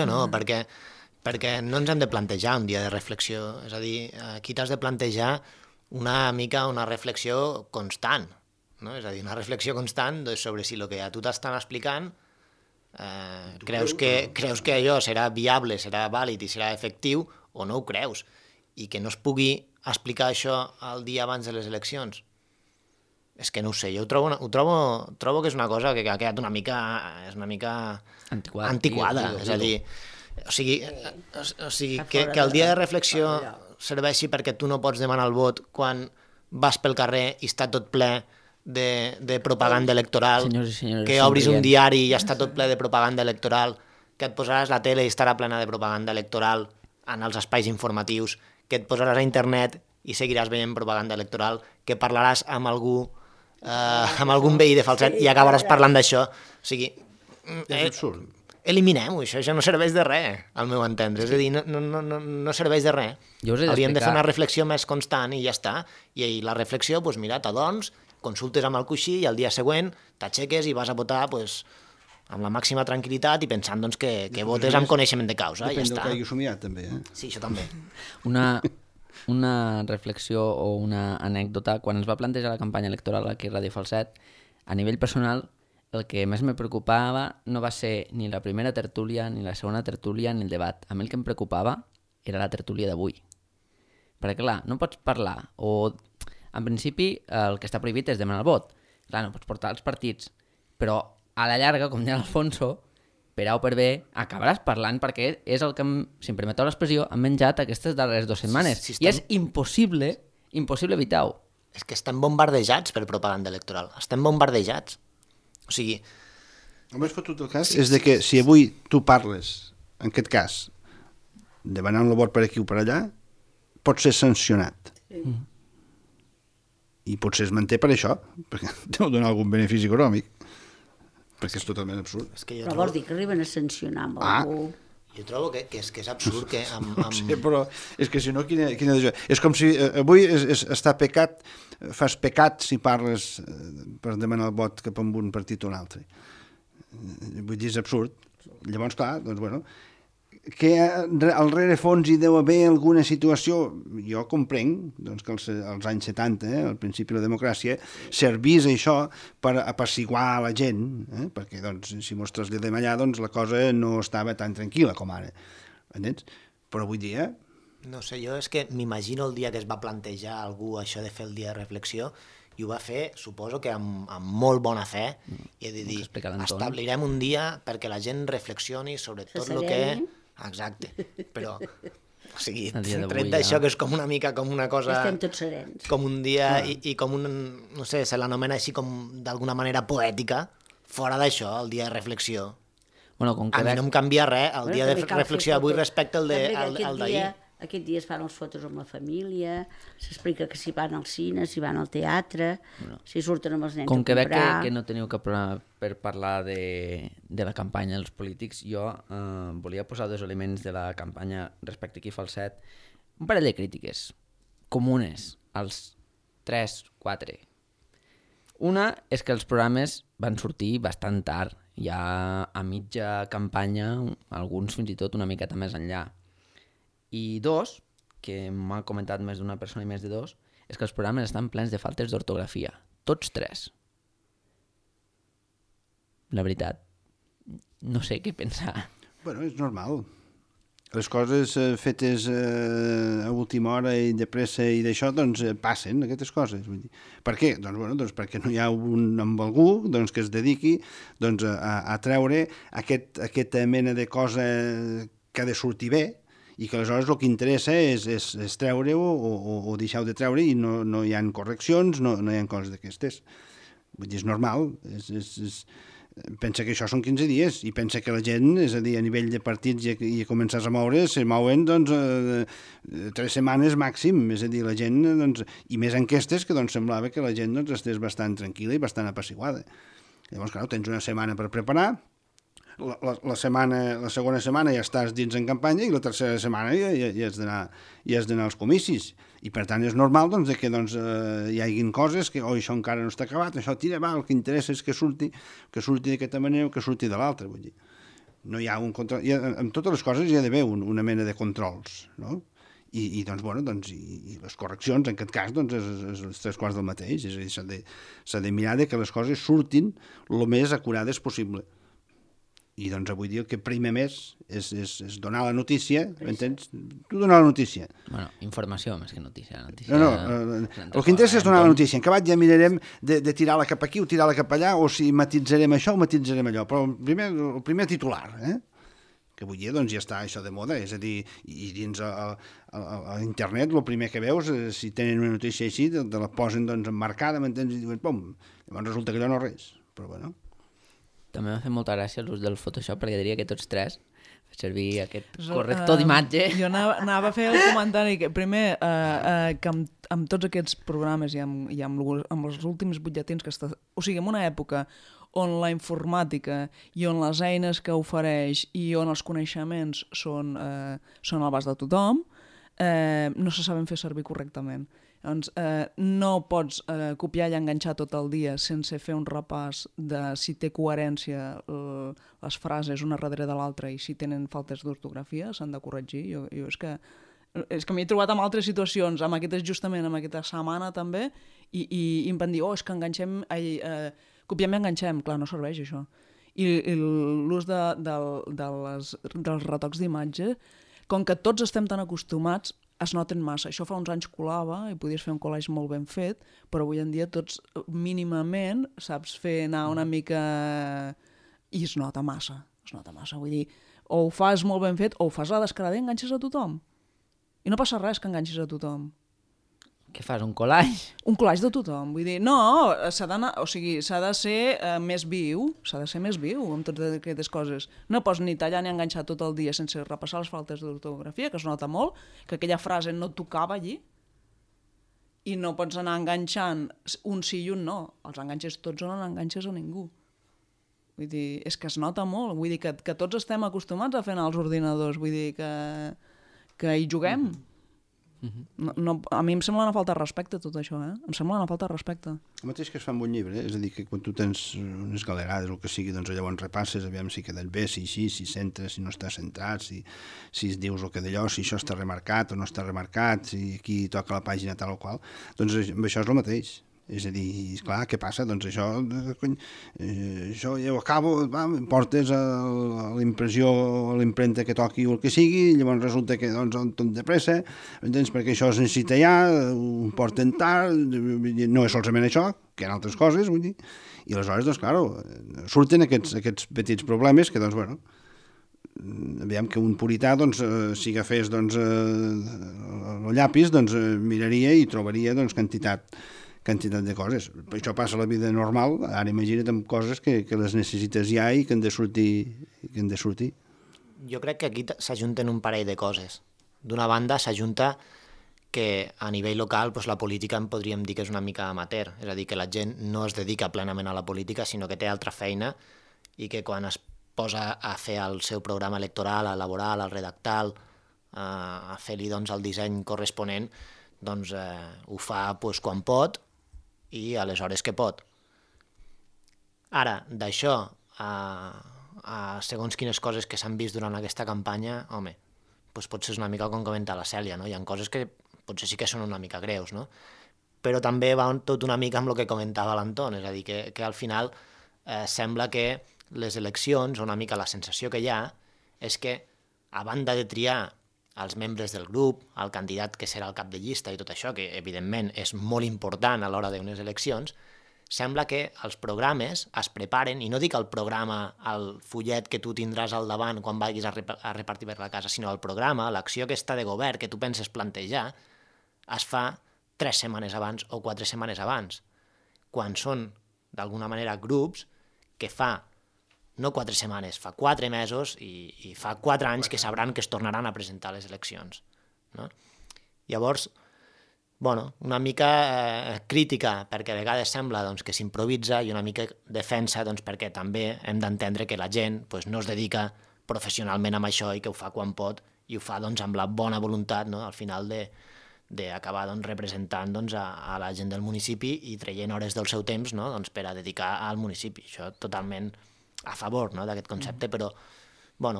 no, perquè no ens hem de plantejar un dia de reflexió. És a dir, aquí t'has de plantejar una mica una reflexió constant. No? És a dir, una reflexió constant sobre si el que a tu t'estan explicant creus que allò serà viable, serà vàlid i serà efectiu o no ho creus, i que no es pugui explicar això el dia abans de les eleccions. És que no ho sé, jo ho trobo que és una cosa que ha quedat una mica antiquada. És a dir, o sigui que el dia de reflexió serveixi perquè tu no pots demanar el vot quan vas pel carrer i està tot ple de propaganda electoral, que obris un diari i està tot ple de propaganda electoral, que et posaràs la tele i estarà plena de propaganda electoral en els espais informatius, que et posaràs a internet i seguiràs veient propaganda electoral, que parlaràs amb algun veí de Falset i acabaràs parlant d'això. O sigui, és absurd. Eliminem-ho, això no serveix de res, al meu entendre. És a dir, no serveix de res. Hauríem de fer una reflexió més constant i ja està. I la reflexió, doncs mira, t'adorms, consultes amb el coixí i el dia següent t'aixeques i vas a votar amb la màxima tranquil·litat i pensant doncs, que votes amb coneixement de causa. Depèn ja del que hagi somiat, també. Sí, això també. Una reflexió o una anècdota. Quan es va plantejar la campanya electoral aquí a Ràdio Falset, a nivell personal, el que més me preocupava no va ser ni la primera tertúlia, ni la segona tertúlia, ni el debat. A mi el que em preocupava era la tertúlia d'avui. Perquè, clar, no pots parlar o... En principi, el que està prohibit és demanar el vot. Clar, no pots portar els partits, però a la llarga, com deia l'Alfonso, per A o per B, acabaràs parlant perquè és el que, si em permeteu l'expressió, han menjat aquestes darreres 2 setmanes. I és impossible evitar-ho. És que estem bombardejats per propaganda electoral. Estem bombardejats. O sigui... El més fotut del cas és de que si avui tu parles, en aquest cas, demanant el vot per aquí o per allà, pot ser sancionat. I potser es manté per això, perquè deu donar algun benefici econòmic, perquè és totalment absurd. Però vols dir que arriben a sancionar amb algú? Jo trobo que és absurd que... No sé, però és que si no, quina és com si avui està pecat, fas pecat si parles per demanar el vot cap a un partit o un altre. Vull dir, és absurd. Llavors, clar, doncs, bueno, que al rerefons hi deu haver alguna situació, jo comprenc doncs, que als anys 70, al principi de la democràcia, servís això per apaciguar la gent, perquè doncs, si mos traslladem allà doncs, la cosa no estava tan tranquil·la com ara. Entens? Però avui dia... No sé, jo és que m'imagino el dia que es va plantejar algú això de fer el dia de reflexió i ho va fer, suposo que amb molt bona fe, i he de dir, establirem un dia perquè la gent reflexioni sobre tot el que... Exacte, però o sigui, tret d'això que és com una mica com una cosa... Estem tots serens. Com un dia i com un... no sé, se l'anomena així com d'alguna manera poètica, fora d'això, el dia de reflexió, Bueno, com que a mi no em canvia res el dia de també cal fer reflexió d'avui fotos. respecte al d'ahir. Aquest dia es fan les fotos amb la família, s'explica que si van al cine, si van al teatre, si surten amb els nens Com a que veig comprar... que no teniu cap problema per parlar de la campanya dels polítics, jo volia posar dos elements de la campanya respecte aquí Falset, un parell de crítiques comunes als 3, 4. Una és que els programes van sortir bastant tard, ja a mitja campanya, alguns fins i tot una miqueta més enllà. I dos, que m'ha comentat més d'una persona i més de dos, és que els programes estan plens de faltes d'ortografia. Tots 3. La veritat, no sé què pensar. Bueno, és normal. Les coses fetes a última hora i de pressa i d'això, doncs passen aquestes coses. Vull dir. Per què? Doncs perquè no hi ha un amb algú que es dediqui a treure aquesta mena de cosa que ha de sortir bé, i que aleshores el que interessa és treure-ho o deixar-ho de treure i no hi ha correccions, no hi ha coses d'aquestes. Vull dir, és normal. Pensa que això són 15 dies i pensa que la gent, és a dir, a nivell de partits i a començar a moure, se mouen 3 setmanes màxim. És a dir, la gent, i més enquestes que semblava que la gent estés bastant tranquil·la i bastant apaciguada. Llavors, clar, tens una setmana per preparar, la segona setmana ja estàs dins en campanya i la tercera setmana ja has d'anar als comicis. I per tant és normal que hi hagin coses que això encara no està acabat, això tira, el que interessa és que surti d'aquesta manera o que surti de l'altra. Vull dir, no hi ha un control. En totes les coses hi ha d'haver una mena de controls, no? I les correccions, en aquest cas, és les 3 quarts del mateix. És a dir, s'ha de mirar que les coses surtin el més acurades possible. I avui dia el que prima més és donar la notícia, m'entens? Tu donar la notícia. Bueno, informació més que notícia. No, el que interessa és donar la notícia. En acabat ja mirarem de tirar-la cap aquí o tirar-la cap allà, o si matitzarem això o matitzarem allò. Però el primer titular, que avui dia ja està això de moda, és a dir, i dins a internet el primer que veus, si tenen una notícia així, te la posen emmarcada, m'entens? I diuen, pum, llavors resulta que allò no res. Però bueno... També m'ha fet molta gràcia l'ús del Photoshop, perquè diria que tots 3 fer servir aquest corrector d'imatge. Jo anava a fer el comentari que primer que amb tots aquests programes i amb els últims butlletins que està... O sigui, en una època on la informàtica i on les eines que ofereix i on els coneixements són a l'abast de tothom, no se saben fer servir correctament. Doncs no pots copiar i enganxar tot el dia sense fer un repàs de si té coherència les frases una darrere de l'altra i si tenen faltes d'ortografia, s'han de corregir. Jo és que m'he trobat en altres situacions, justament en aquesta setmana també, i em van dir, és que enganxem, copiem i enganxem. Clar, no serveix això. I l'ús dels retocs d'imatge, com que tots estem tan acostumats, es noten massa. Això fa uns anys colava i podies fer un collage molt ben fet, però avui en dia tots mínimament saps fer anar una mica... I es nota massa. Vull dir, o ho fas molt ben fet o ho fas a descarada i enganxes a tothom. I no passa res que enganxis a tothom. Què fas, un collage? Un collage de tothom. Vull dir, no, s'ha de ser més viu, amb totes aquestes coses. No pots ni tallar ni enganxar tot el dia sense repassar les faltes d'ortografia, que es nota molt, que aquella frase no tocava allí, i no pots anar enganxant un sí i un no. Els enganxes tots o no enganxes a ningú. Vull dir, és que es nota molt. Vull dir que tots estem acostumats a fer anar als ordinadors. Vull dir que hi juguem. No, a mi em sembla una falta de respecte tot això, Em sembla una falta de respecte. El mateix que es fa amb un llibre, és a dir, que quan tu tens unes galerades o el que sigui, llavors repasses, aviam si quedat bé, si centres, si no està centrat, si dius el que d'allò, si això està remarcat o no està remarcat, si aquí toca la pàgina tal o qual, doncs amb això és el mateix. És a dir, clar, què passa? Doncs això ja ho acabo, em portes a l'impressió, a l'impremta que toqui o el que sigui, llavors resulta que tot de pressa, entens? Perquè això es necessita ja, ho porten tard, no és solament això, que hi ha altres coses, vull dir, i aleshores, doncs, clar, surten aquests petits problemes que, doncs, bueno, aviam que un purità, doncs, si agafés el llapis, doncs, miraria i trobaria, doncs, quantitat quantitat de coses. Això passa a la vida normal, ara imagina't amb coses que les necessites ja i que han de sortir. Jo crec que aquí s'ajunten un parell de coses. D'una banda, s'ajunta que a nivell local la política en podríem dir que és una mica amateur, és a dir, que la gent no es dedica plenament a la política, sinó que té altra feina i que quan es posa a fer el seu programa electoral, a elaborar, a redactar, a fer-li el disseny corresponent, ho fa quan pot i a les hores que pot. Ara, d'això a segons quines coses que s'han vist durant aquesta campanya, home, potser és una mica com comenta la Cèlia, no? Hi ha coses que potser sí que són una mica greus, no? Però també va tot una mica amb el que comentava l'Anton, és a dir, que al final sembla que les eleccions, una mica la sensació que hi ha, és que a banda de triar els membres del grup, el candidat que serà el cap de llista i tot això, que evidentment és molt important a l'hora d'unes eleccions, sembla que els programes es preparen, i no dic el programa, el fullet que tu tindràs al davant quan vagis a repartir per la casa, sinó el programa, l'acció aquesta de govern que tu penses plantejar, es fa 3 setmanes abans o 4 setmanes abans, quan són, d'alguna manera, grups que fa no 4 setmanes, fa 4 mesos i fa 4 anys que sabran que es tornaran a presentar les eleccions. No? Llavors, una mica crítica, perquè a vegades sembla que s'improvisa, i una mica defensa perquè també hem d'entendre que la gent no es dedica professionalment amb això i que ho fa quan pot i ho fa amb la bona voluntat, al final d'acabar representant a la gent del municipi i traient hores del seu temps per a dedicar al municipi. Això totalment a favor d'aquest concepte, però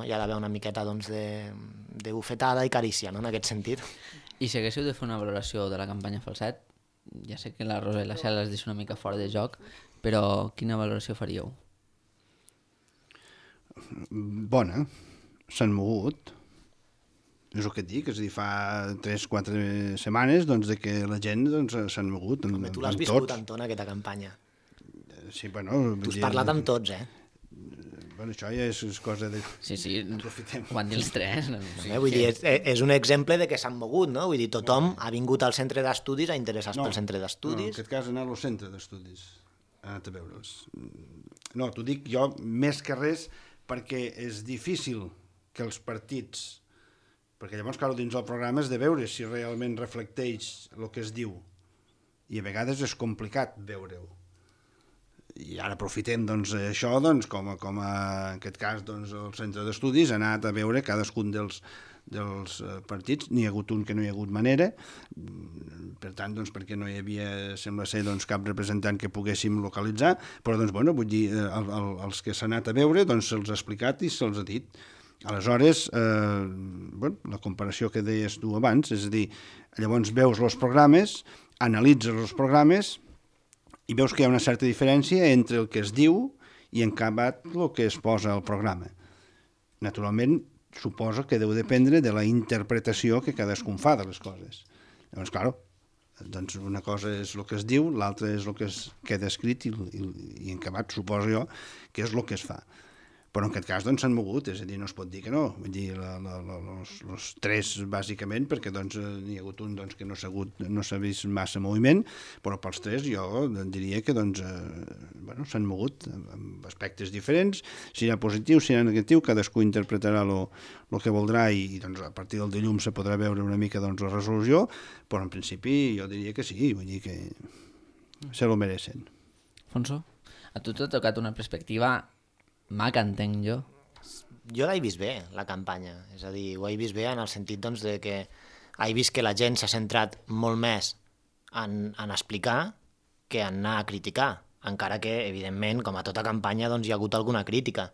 hi ha d'haver una miqueta de bufetada i carícia en aquest sentit. I si haguéssiu de fer una valoració de la campanya Falset, ja sé que la Rosa i la Cel les deixo una mica fora de joc, però quina valoració faríeu? Bona, s'han mogut, és el que et dic, és a dir, fa 3-4 setmanes de que la gent s'han mogut. Home, tu l'has viscut, Anton, aquesta campanya. Sí, bueno... Tu has parlat amb tots, Bueno, això ja és cosa de... Sí, ho van dir els 3. Vull dir, és un exemple de que s'han mogut, no? Vull dir, tothom ha vingut al centre d'estudis a interessar-se pel centre d'estudis. No, en aquest cas anar al centre d'estudis, ha anat a veure'ls. No, t'ho dic jo més que res perquè és difícil que els partits... Perquè llavors, clar, dins el programa és de veure si realment reflecteix el que es diu. I a vegades és complicat veure-ho. I ara aprofitem això com en aquest cas el centre d'estudis ha anat a veure cadascun dels partits. N'hi ha hagut un que no hi ha hagut manera, per tant perquè no hi havia, sembla ser, cap representant que poguéssim localitzar, però vull dir, els que s'ha anat a veure se'ls ha explicat i se'ls ha dit. Aleshores, la comparació que deies tu abans, és a dir, llavors veus els programes, analitzes els programes i veus que hi ha una certa diferència entre el que es diu i en acabat el que es posa al programa. Naturalment, suposo que deu dependre de la interpretació que cadascun fa de les coses. Llavors, clar, una cosa és el que es diu, l'altra és el que es queda escrit i en acabat suposo jo que és el que es fa. Però en aquest cas s'han mogut, és a dir, no es pot dir que no. Vull dir, els 3 bàsicament, perquè n'hi ha hagut un que no s'ha vist massa moviment, però pels 3 jo diria que s'han mogut amb aspectes diferents, si serà positiu, si serà negatiu, cadascú interpretarà el que voldrà i a partir del dilluns se podrà veure una mica la resolució, però en principi jo diria que sí, vull dir que se lo mereixen. Fonso, a tu t'ha tocat una perspectiva maca, entenc jo. Jo l'he vist bé, la campanya. És a dir, ho he vist bé en el sentit de que he vist que la gent s'ha centrat molt més en explicar que en anar a criticar. Encara que, evidentment, com a tota campanya, hi ha hagut alguna crítica.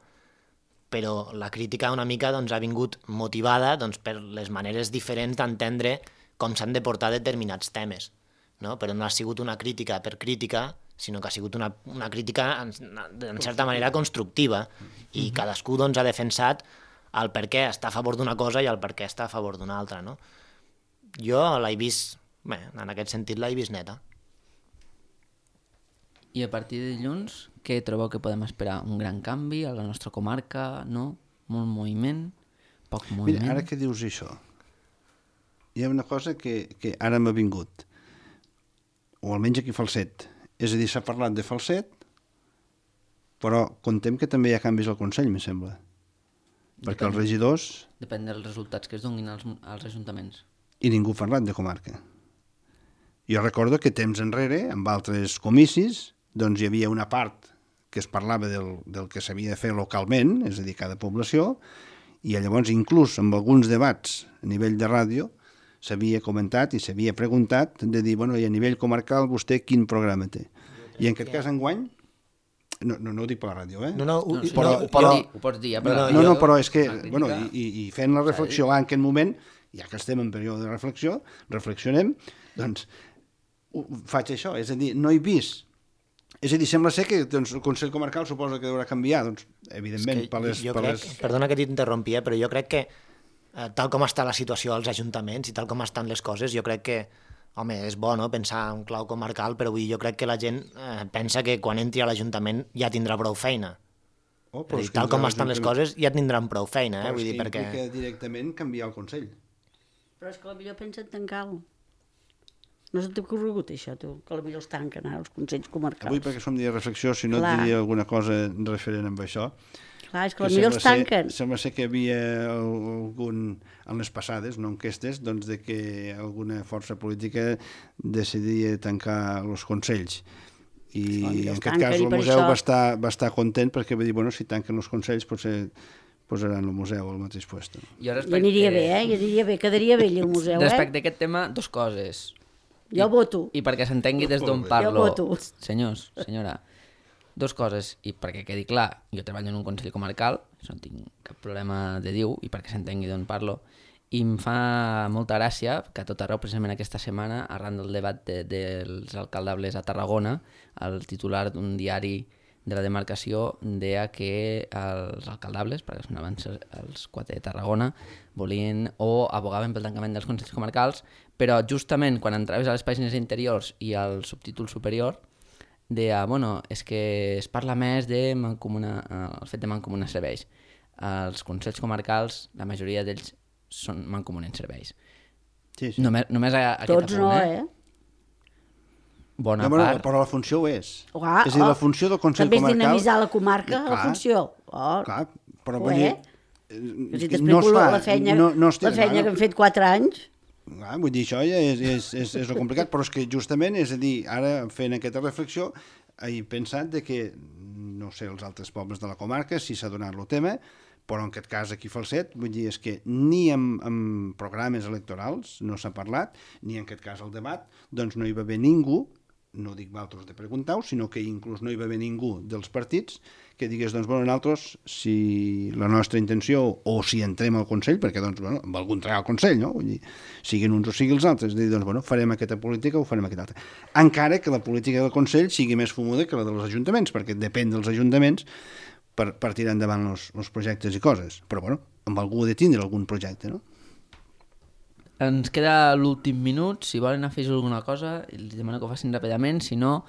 Però la crítica una mica ha vingut motivada per les maneres diferents d'entendre com s'han de portar determinats temes. No? Però no ha sigut una crítica per crítica, sinó que ha sigut una crítica en certa manera constructiva i cadascú ha defensat el per què està a favor d'una cosa i el per què està a favor d'una altra. No? Jo l'he vist, en aquest sentit l'he vist neta. I a partir de dilluns, què trobeu que podem esperar? Un gran canvi a la nostra comarca? No? Molt moviment? Poc moviment? Mira, ara que dius això, hi ha una cosa que ara m'ha vingut. o almenys aquí a Falset. És a dir, s'ha parlat de Falset, però contem que també hi ha canvis al Consell, me sembla. Perquè els regidors... Depèn dels resultats que es donin als ajuntaments. I ningú ha parlat de comarca. Jo recordo que temps enrere, amb altres comicis, doncs hi havia una part que es parlava del que s'havia de fer localment, és a dir, cada població, i llavors inclús amb alguns debats a nivell de ràdio s'havia comentat i s'havia preguntat de dir, bueno, i a nivell comarcal vostè quin programa té? I en aquest cas enguany, no ho dic per la ràdio, eh? Ho pots dir. No, però és que, bueno, i fent la reflexió en aquest moment, ja que estem en període de reflexió, reflexionem, doncs faig això, és a dir, no he vist. És a dir, sembla ser que doncs, el Consell Comarcal suposa que haurà canviar, doncs, evidentment, per les... Perdona que t'interrompi, però jo crec que tal com està la situació als ajuntaments i tal com estan les coses, jo crec que, home, és bo, no?, pensar en clau comarcal, però jo crec que la gent pensa que quan entri a l'Ajuntament ja tindrà prou feina. Dir, tal com estan les coses ja tindran prou feina, Però vull dir, perquè... perquè... implica directament canviar el Consell. Però és que potser pensen tancar-lo. No se t'ha corregut això, tu, que potser els tanquen els consells comarcals. Avui, perquè som dia de reflexió, si no et diria alguna cosa referent amb això. Clar, és que potser els tanquen. Sembla ser que hi havia algun, en les passades, no enquestes, doncs de que alguna força política decidia tancar els consells. I en aquest cas el museu va estar content perquè va dir, bueno, si tanquen els consells potser posaran el museu al mateix lloc. I aniria bé, ja aniria bé, quedaria bé el museu, Respecte a aquest tema, dues coses. Jo voto. I perquè s'entengui des d'on parlo. Jo voto. Senyors, senyora, dues coses, i perquè quedi clar, jo treballo en un consell comarcal, no tinc cap problema de dir-ho, i perquè s'entengui d'on parlo, i em fa molta gràcia que a tot arreu, precisament aquesta setmana, arran del debat dels alcaldables a Tarragona, el titular d'un diari de la demarcació deia que els alcaldables, perquè són abans els 4 de Tarragona, volien o abogaven pel tancament dels consells comarcals, però justament quan entraves a les pàgines interiors i al subtítol superior deia, bueno, és que es parla més de el fet de mancomunar serveis. Els consells comarcals, la majoria d'ells mancomunen serveis. Sí. Tots Només aquest apunt, no, eh? Bona part. Però la funció ho és. Clar, és a dir, la funció del Consell també Comarcal... També és dinamitzar la comarca, la funció. Clar, però vull dir... Si t'explico la feina que hem fet 4 anys... Vull dir, això ja és el complicat, però és que justament, és a dir, ara fent aquesta reflexió, he pensat de que, no sé, els altres pobles de la comarca, si s'ha donat el tema, però en aquest cas aquí a Falset, vull dir, és que ni en programes electorals no s'ha parlat, ni en aquest cas el debat, doncs no hi va haver ningú, no dic vosaltres de preguntar-ho, sinó que inclús no hi va haver ningú dels partits que digués, doncs, bueno, nosaltres, si la nostra intenció, o si entrem al Consell, perquè, doncs, bueno, amb algú entrar al Consell, no? Vull dir, siguin uns o siguin els altres, dir, doncs, bueno, farem aquesta política o farem aquesta altra. Encara que la política del Consell sigui més fumuda que la dels ajuntaments, perquè depèn dels ajuntaments per tirar endavant els projectes i coses. Però, bueno, amb algú ha de tindre algun projecte, no? Ens queda l'últim minut, si volen afegir alguna cosa, els demano que ho facin ràpidament, si no,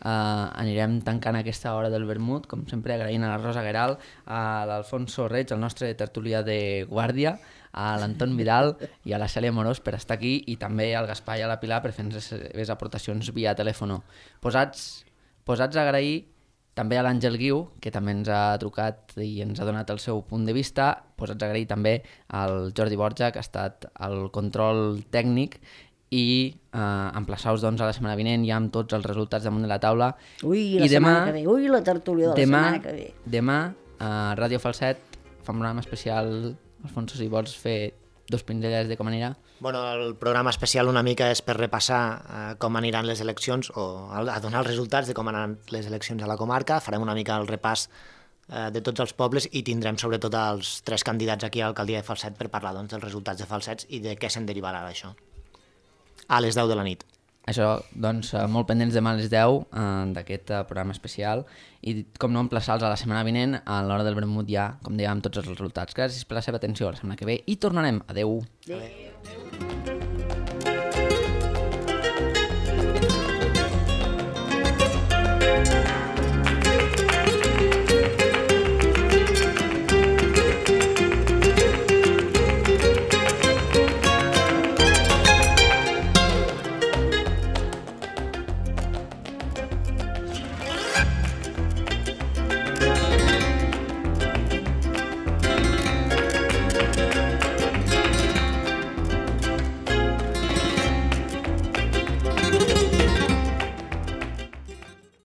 anirem tancant aquesta hora del vermut, com sempre agraint a la Rosa Gueral, a l'Alfonso Reig, el nostre tertulià de guàrdia, a l'Anton Vidal i a la Cèlia Morós per estar aquí, i també al Gaspar i a la Pilar per fer les seves aportacions via telèfon. Posats a agrair també a l'Àngel Guiu, que també ens ha trucat i ens ha donat el seu punt de vista. Posats a agrair també al Jordi Borja, que ha estat al control tècnic, i emplaçar-vos doncs, a la setmana vinent ja amb tots els resultats damunt de la taula. Ui, la setmana que ve. Ui, la tertúlia de la setmana que ve. Demà, a Ràdio Falset, fa un programa especial. Alfonso, si vols fer 2 pinzellades de com anirà. Bueno, el programa especial una mica és per repassar com aniran les eleccions o a donar els resultats de com aniran les eleccions a la comarca. Farem una mica el repàs de tots els pobles i tindrem sobretot els 3 candidats aquí a l'alcaldia de Falset per parlar doncs, dels resultats de Falsets i de què se'n derivarà d'això. A les 10 de la nit. Això, doncs, molt pendents demà a les 10 d'aquest programa especial i, com no, emplaçar-los a la setmana vinent a l'hora del vermut ja, com dèiem, tots els resultats. Gràcies per la seva atenció, la setmana que ve i tornarem. Adeu. Adeu.